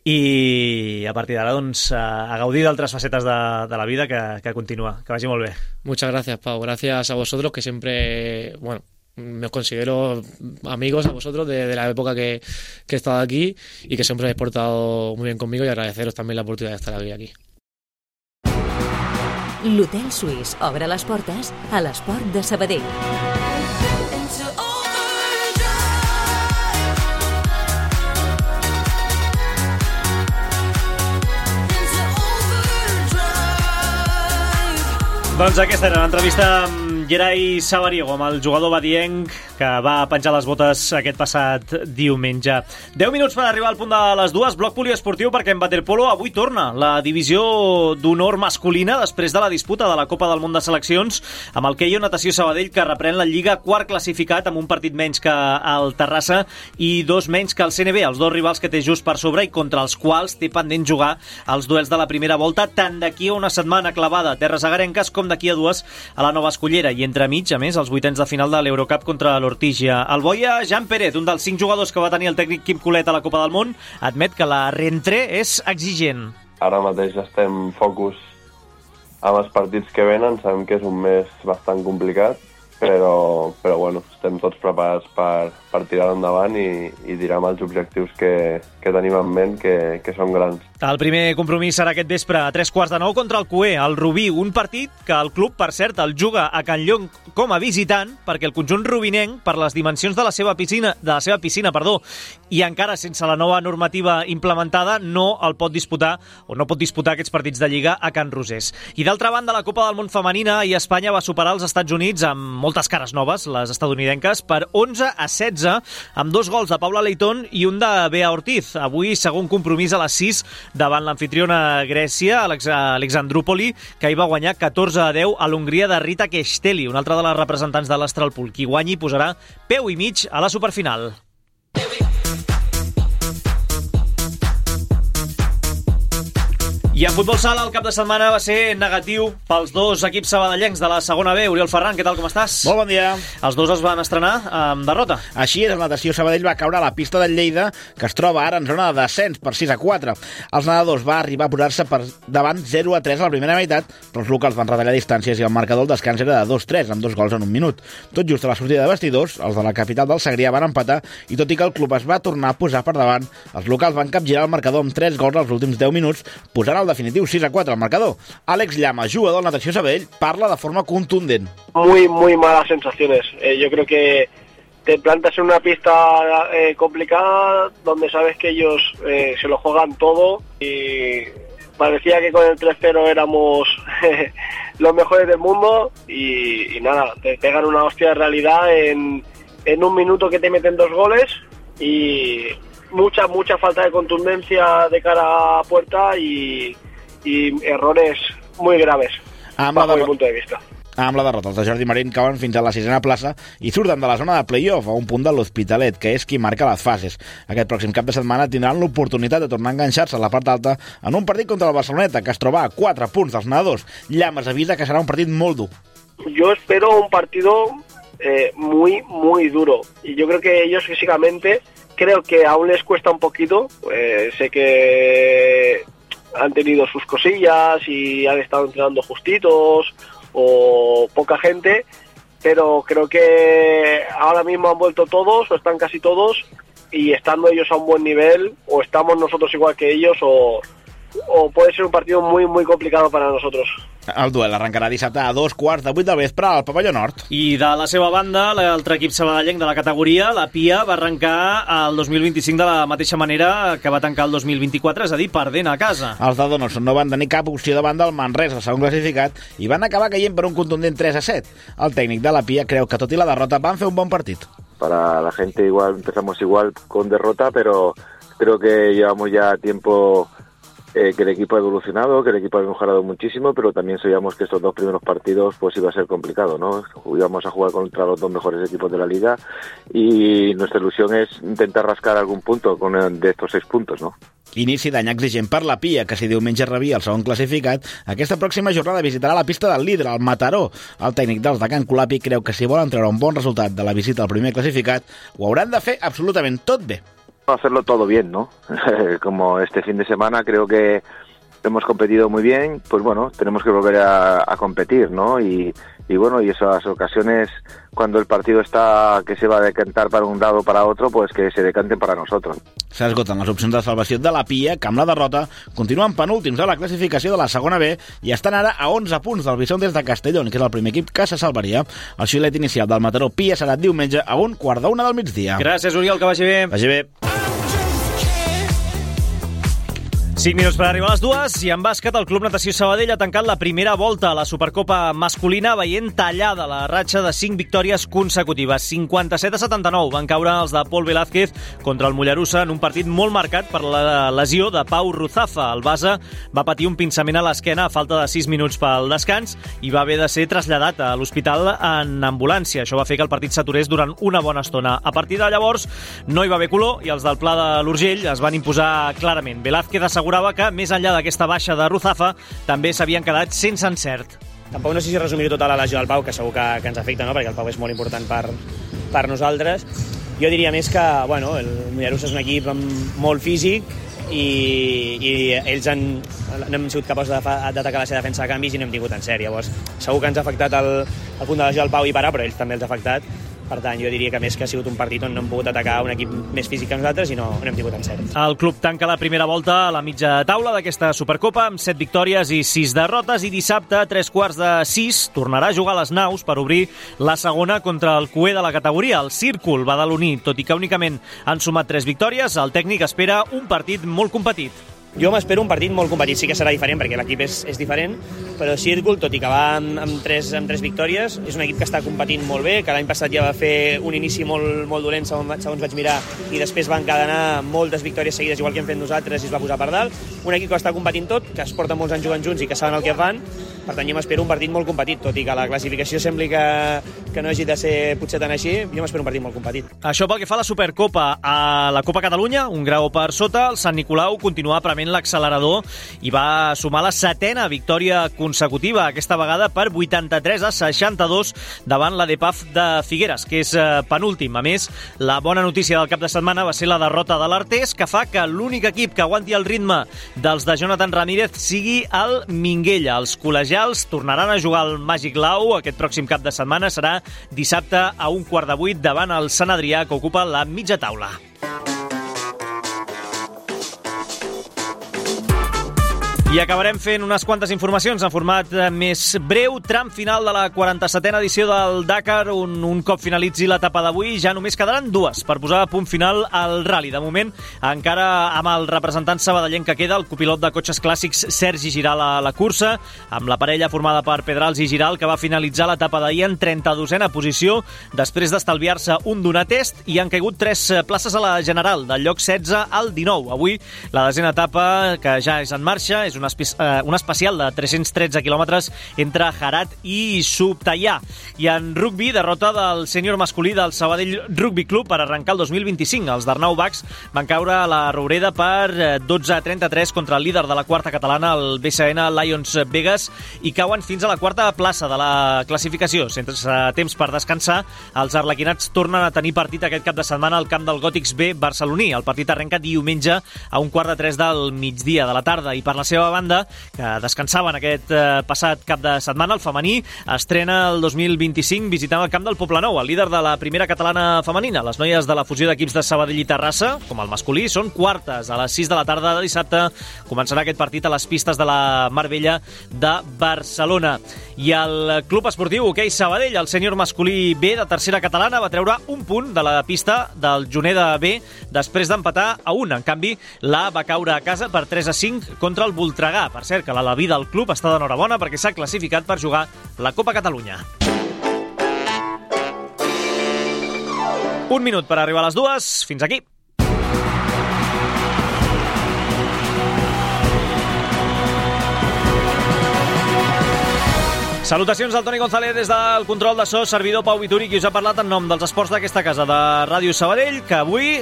i a partir d'ara doncs, a gaudir d'altres facetes de, de la vida que, que continua. Que vagi molt bé. Muchas gracias, Pau. Gracias a vosotros, que siempre, bueno, me considero amigos a vosotros de, de la época que, que he estado aquí y que siempre habéis portado muy bien conmigo, y agradeceros también la oportunidad de estar hoy aquí. L'Hotel Suís obre les portes a l'esport de Sabadell. Doncs aquesta era l'entrevista amb Gerai Sabariego, amb el jugador badienc que va penjar les botes aquest passat diumenge. deu minuts per arribar al punt de les dues. Bloc poliesportiu, perquè en waterpolo avui torna la divisió d'honor masculina després de la disputa de la Copa del Món de Seleccions, amb el Keio Natació Sabadell, que reprèn la Lliga quart classificat amb un partit menys que el Terrassa i dos menys que el C N B, els dos rivals que té just per sobre i contra els quals té pendent jugar els duels de la primera volta, tant d'aquí a una setmana clavada a terres agarenques com d'aquí a dues a la Nova Escollera, i entremig, a més, els vuitens de final de l'Eurocup contra l'Ortigia. El boia Jan Pérez, un dels cinc jugadors que va tenir el tècnic Quim Colet a la Copa del Món, admet que la reentré és exigent. Ara mateix estem focus amb els partits que venen, sabem que és un mes bastant complicat, però, però bueno, estem tots preparats per, per tirar endavant i, i tirar amb els objectius que, que tenim en ment, que, que són grans. El primer compromís serà aquest vespre a tres quarts de nou contra el Cué, el Rubí, un partit que el club, per cert, el juga a Can Llong com a visitant, perquè el conjunt rubinenc, per les dimensions de la seva piscina, de la seva piscina, perdó, i encara sense la nova normativa implementada, no el pot disputar, o no pot disputar aquests partits de Lliga a Can Rosés. I d'altra banda, la Copa del Món femenina, i Espanya va superar els Estats Units amb moltes cares noves, les estadounidenques, per onze a setze, amb dos gols de Paula Leitón i un de Bea Ortiz. Avui, segon compromís a les sis, davant l'anfitriona Grècia, Alexandrúpoli, que hi va guanyar catorze a deu a l'Hongria de Rita Kesteli, una altra de les representants de l'Astralpool. Qui guanyi posarà peu i mig a la superfinal. I en futbol sala el cap de setmana va ser negatiu pels dos equips sabadellencs de la segona B. Oriol Ferran, què tal, com estàs? Molt bon dia. Els dos es van estrenar amb derrota. Així és, el Natació Sabadell va caure a la pista del Lleida, que es troba ara en zona de descens per sis a quatre. Els nedadors va arribar a posar-se per davant zero a tres a la primera meitat, però els locals van retallar distàncies i el marcador del descans era de dos a tres, amb dos gols en un minut. Tot just a la sortida de vestidors, els de la capital del Segrià van empatar, i tot i que el club es va tornar a posar per davant, els locals van capgirar el marcador amb tres gols als últims deu minuts, posant el definitiu sis a quatre al marcador. Àlex Llama, jugador del Natació Sabadell, parla de forma contundent. Muy, muy malas sensaciones. Eh, yo creo que te plantas en una pista eh, complicada, donde sabes que ellos eh, se lo juegan todo, y parecía que con el tres cero éramos los mejores del mundo, y, y nada, te pegan una hostia de realidad en, en un minuto que te meten dos goles, y mucha, mucha falta de contundencia de cara a puerta, y i errores muy graves, amb bajo la mi punto de vista. Amb la derrota, els de Jordi Marín cauen fins a la sisena plaça i surten de la zona de play-off a un punt de l'Hospitalet, que és qui marca les fases. Aquest pròxim cap de setmana tindran l'oportunitat de tornar a enganxar-se a la part alta en un partit contra el Barceloneta, que es troba a quatre punts dels nedadors. Llamas avisa que serà un partit molt dur. Yo espero un partido eh, muy, muy duro, y yo creo que ellos físicamente, creo que aún les cuesta un poquito. Eh, sé que han tenido sus cosillas y han estado entrenando justitos o poca gente, pero creo que ahora mismo han vuelto todos o están casi todos, y estando ellos a un buen nivel, o estamos nosotros igual que ellos, o, o puede ser un partido muy muy complicado para nosotros. El duel arrencarà dissabte a dos quarts de vuit del vespre al Pavelló Nord. I de la seva banda, l'altre equip sabadellenc de la categoria, la Pia, va arrencar el dos mil vint-i-cinc de la mateixa manera que va tancar el dos mil vint-i-quatre, és a dir, perdent a casa. Els de Donosson no van tenir cap opció davant del Manresa, el segon classificat, i van acabar caient per un contundent tres a set. El tècnic de la Pia creu que, tot i la derrota, van fer un bon partit. Para la gente igual empezamos igual con derrota, pero creo que llevamos ya tiempo eh, que el equipo ha evolucionado, que el equipo ha mejorado muchísimo, pero también sabíamos que estos dos primeros partidos pues iba a ser complicado, ¿no? Íbamos a jugar contra los dos mejores equipos de la liga y nuestra ilusión es intentar rascar algún punto con el, de estos seis puntos, ¿no? Inici d'any exigent per la Pia, que si diumenge rebia el segon classificat, aquesta pròxima jornada visitarà la pista del líder, el Mataró. El tècnic dels de Can Colapi creu que si volen treure un bon resultat de la visita al primer classificat, ho hauran de fer absolutament tot bé. Hacerlo todo bien, ¿no? Como este fin de semana creo que hemos competido muy bien, pues bueno, tenemos que volver a, a competir, ¿no? Y, y bueno, y esas ocasiones cuando el partido está que se va a decantar para un lado o para otro, pues que se decanten para nosotros. S'esgoten les opcions de salvació de la Pia, que amb la derrota continuen penúltims a la classificació de la segona B i estan ara a onze punts del Bison des de Castellón, que és el primer equip que se salvaria. El xiulet inicial del Mataró Pia serà diumenge a un quart d'una del migdia. Gràcies, Oriol, que vagi bé. Vagi bé. cinc minuts per arribar a les dues i en bàsquet el Club Natació Sabadell ha tancat la primera volta a la Supercopa masculina veient tallada la ratxa de cinc victòries consecutives. cinquanta-set a setanta-nou van caure els de Pol Velázquez contra el Mollerussa en un partit molt marcat per la lesió de Pau Ruzafa. El base va patir un pinçament a l'esquena a falta de sis minuts pel descans i va haver de ser traslladat a l'hospital en ambulància. Això va fer que el partit s'aturés durant una bona estona. A partir de llavors no hi va haver color i els del Pla de l'Urgell es van imposar clarament. Velázquez assegurava que, més enllà d'aquesta baixa de Ruzafa, també s'havien quedat sense encert. Tampoc no sé si resumir tota la lesió del Pau, que segur que, que ens afecta, no? Perquè el Pau és molt important per, per nosaltres. Jo diria més que, bueno, el Mollerussa és un equip molt físic i, i ells han, no hem sigut capaços d'atacar la seva defensa de canvis i no hem tingut en sèrie. Llavors, segur que ens ha afectat el, el punt de lesió del Pau i parar, però ells també els ha afectat. Per tant, jo diria que més que ha sigut un partit on no hem pogut atacar un equip més físic que nosaltres i no, no hem tingut encert. El club tanca la primera volta a la mitja taula d'aquesta Supercopa amb set victòries i sis derrotes i dissabte, a tres quarts de sis, tornarà a jugar a les naus per obrir la segona contra el cuer de la categoria, el Círcul badaloní. Tot i que únicament han sumat tres victòries, el tècnic espera un partit molt competit. Jo m'espero un partit molt competit, sí que serà diferent perquè l'equip és, és diferent, però Círcul, tot i que va amb, amb, tres, amb tres victòries, és un equip que està competint molt bé, que l'any passat ja va fer un inici molt, molt dolent, segons, segons vaig mirar, i després va encadenar moltes victòries seguides, igual que hem fet nosaltres, i es va posar per dalt. Un equip que està competint tot, que es porta molts anys jugant junts i que saben el que fan, per tant jo m'espero un partit molt competit, tot i que la classificació sembli que, que no hagi de ser potser tan així, jo m'espero un partit molt competit. Això pel que fa a la Supercopa. A la Copa Catalunya, un grau per sota, el Sant Nicolau continua prement l'accelerador i va sumar la setena victòria consecutiva, aquesta vegada per vuitanta-tres a seixanta-dos davant la D P A F de Figueres, que és penúltim. A més, la bona notícia del cap de setmana va ser la derrota de l'Artés, que fa que l'únic equip que aguanti el ritme dels de Jonathan Ramírez sigui el Minguella. Els col·legials tornaran a jugar al Màgic Lau aquest pròxim cap de setmana. Serà dissabte a un quart de vuit davant el Sant Adrià, que ocupa la mitja taula. I acabarem fent unes quantes informacions en format més breu. Tram final de la quaranta-setena edició del Dakar. Un, un cop finalitzi l'etapa d'avui, ja només quedaran dues per posar a punt final al rally. De moment, encara amb el representant sabadellenc que queda, el copilot de cotxes clàssics Sergi Giral a la cursa, amb la parella formada per Pedrals i Giral, que va finalitzar l'etapa d'ahir en trenta-dosena posició, després d'estalviar-se un donar test, i han caigut tres places a la general, del lloc setze al dinou. Avui, la desena etapa, que ja és en marxa, és un, espe un especial de tres-cents tretze quilòmetres entre Harat i Subtaià. I en rugby, derrota del sènior masculí del Sabadell Rugby Club per arrencar el dos mil vint-i-cinc. Els d'Arnau Bax van caure a la Roureda per dotze a trenta-tres contra el líder de la quarta catalana, el B C N Lions Vegas, i cauen fins a la quarta plaça de la classificació. Sense temps per descansar, els arlequinats tornen a tenir partit aquest cap de setmana al camp del Gòtics B barceloní. El partit arrenca diumenge a un quart de tres del migdia de la tarda, i per la seva banda, que descansaven aquest eh, passat cap de setmana. El femení estrena el dos mil vint-i-cinc visitant el camp del Poblenou, el líder de la primera catalana femenina. Les noies de la fusió d'equips de Sabadell i Terrassa, com el masculí, són quartes. A les sis de la tarda de dissabte començarà aquest partit a les pistes de la Mar Bella de Barcelona. I el Club Esportiu Hoquei Sabadell, el sènior masculí B de tercera catalana, va treure un punt de la pista del Juneda B després d'empatar a un. En canvi, l'A va caure a casa per tres a cinc contra el Voltregà. Per cert, que l'Alaví del club està d'enhorabona perquè s'ha classificat per jugar la Copa Catalunya. Un minut per arribar a les dues. Fins aquí. Salutacions al Toni González des del control de so, servidor Pau Vituri, qui us ha parlat en nom dels esports d'aquesta casa de Ràdio Sabadell, que avui,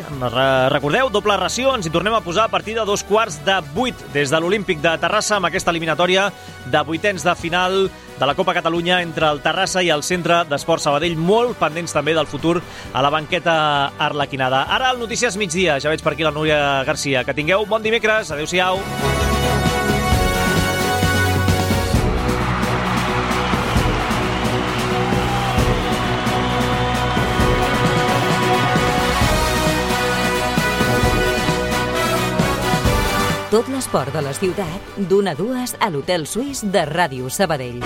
recordeu, doble ració, ens hi tornem a posar a partir de dos quarts de vuit des de l'Olímpic de Terrassa amb aquesta eliminatòria de vuitens de final de la Copa Catalunya entre el Terrassa i el Centre d'Esport Sabadell, molt pendents també del futur a la banqueta arlequinada. Ara el Notícies Migdia, ja veig per aquí la Núria Garcia. Que tingueu bon dimecres, adeu-siau. Tot l'esport de la ciutat, d'una a dues a l'Hotel Suís de Ràdio Sabadell.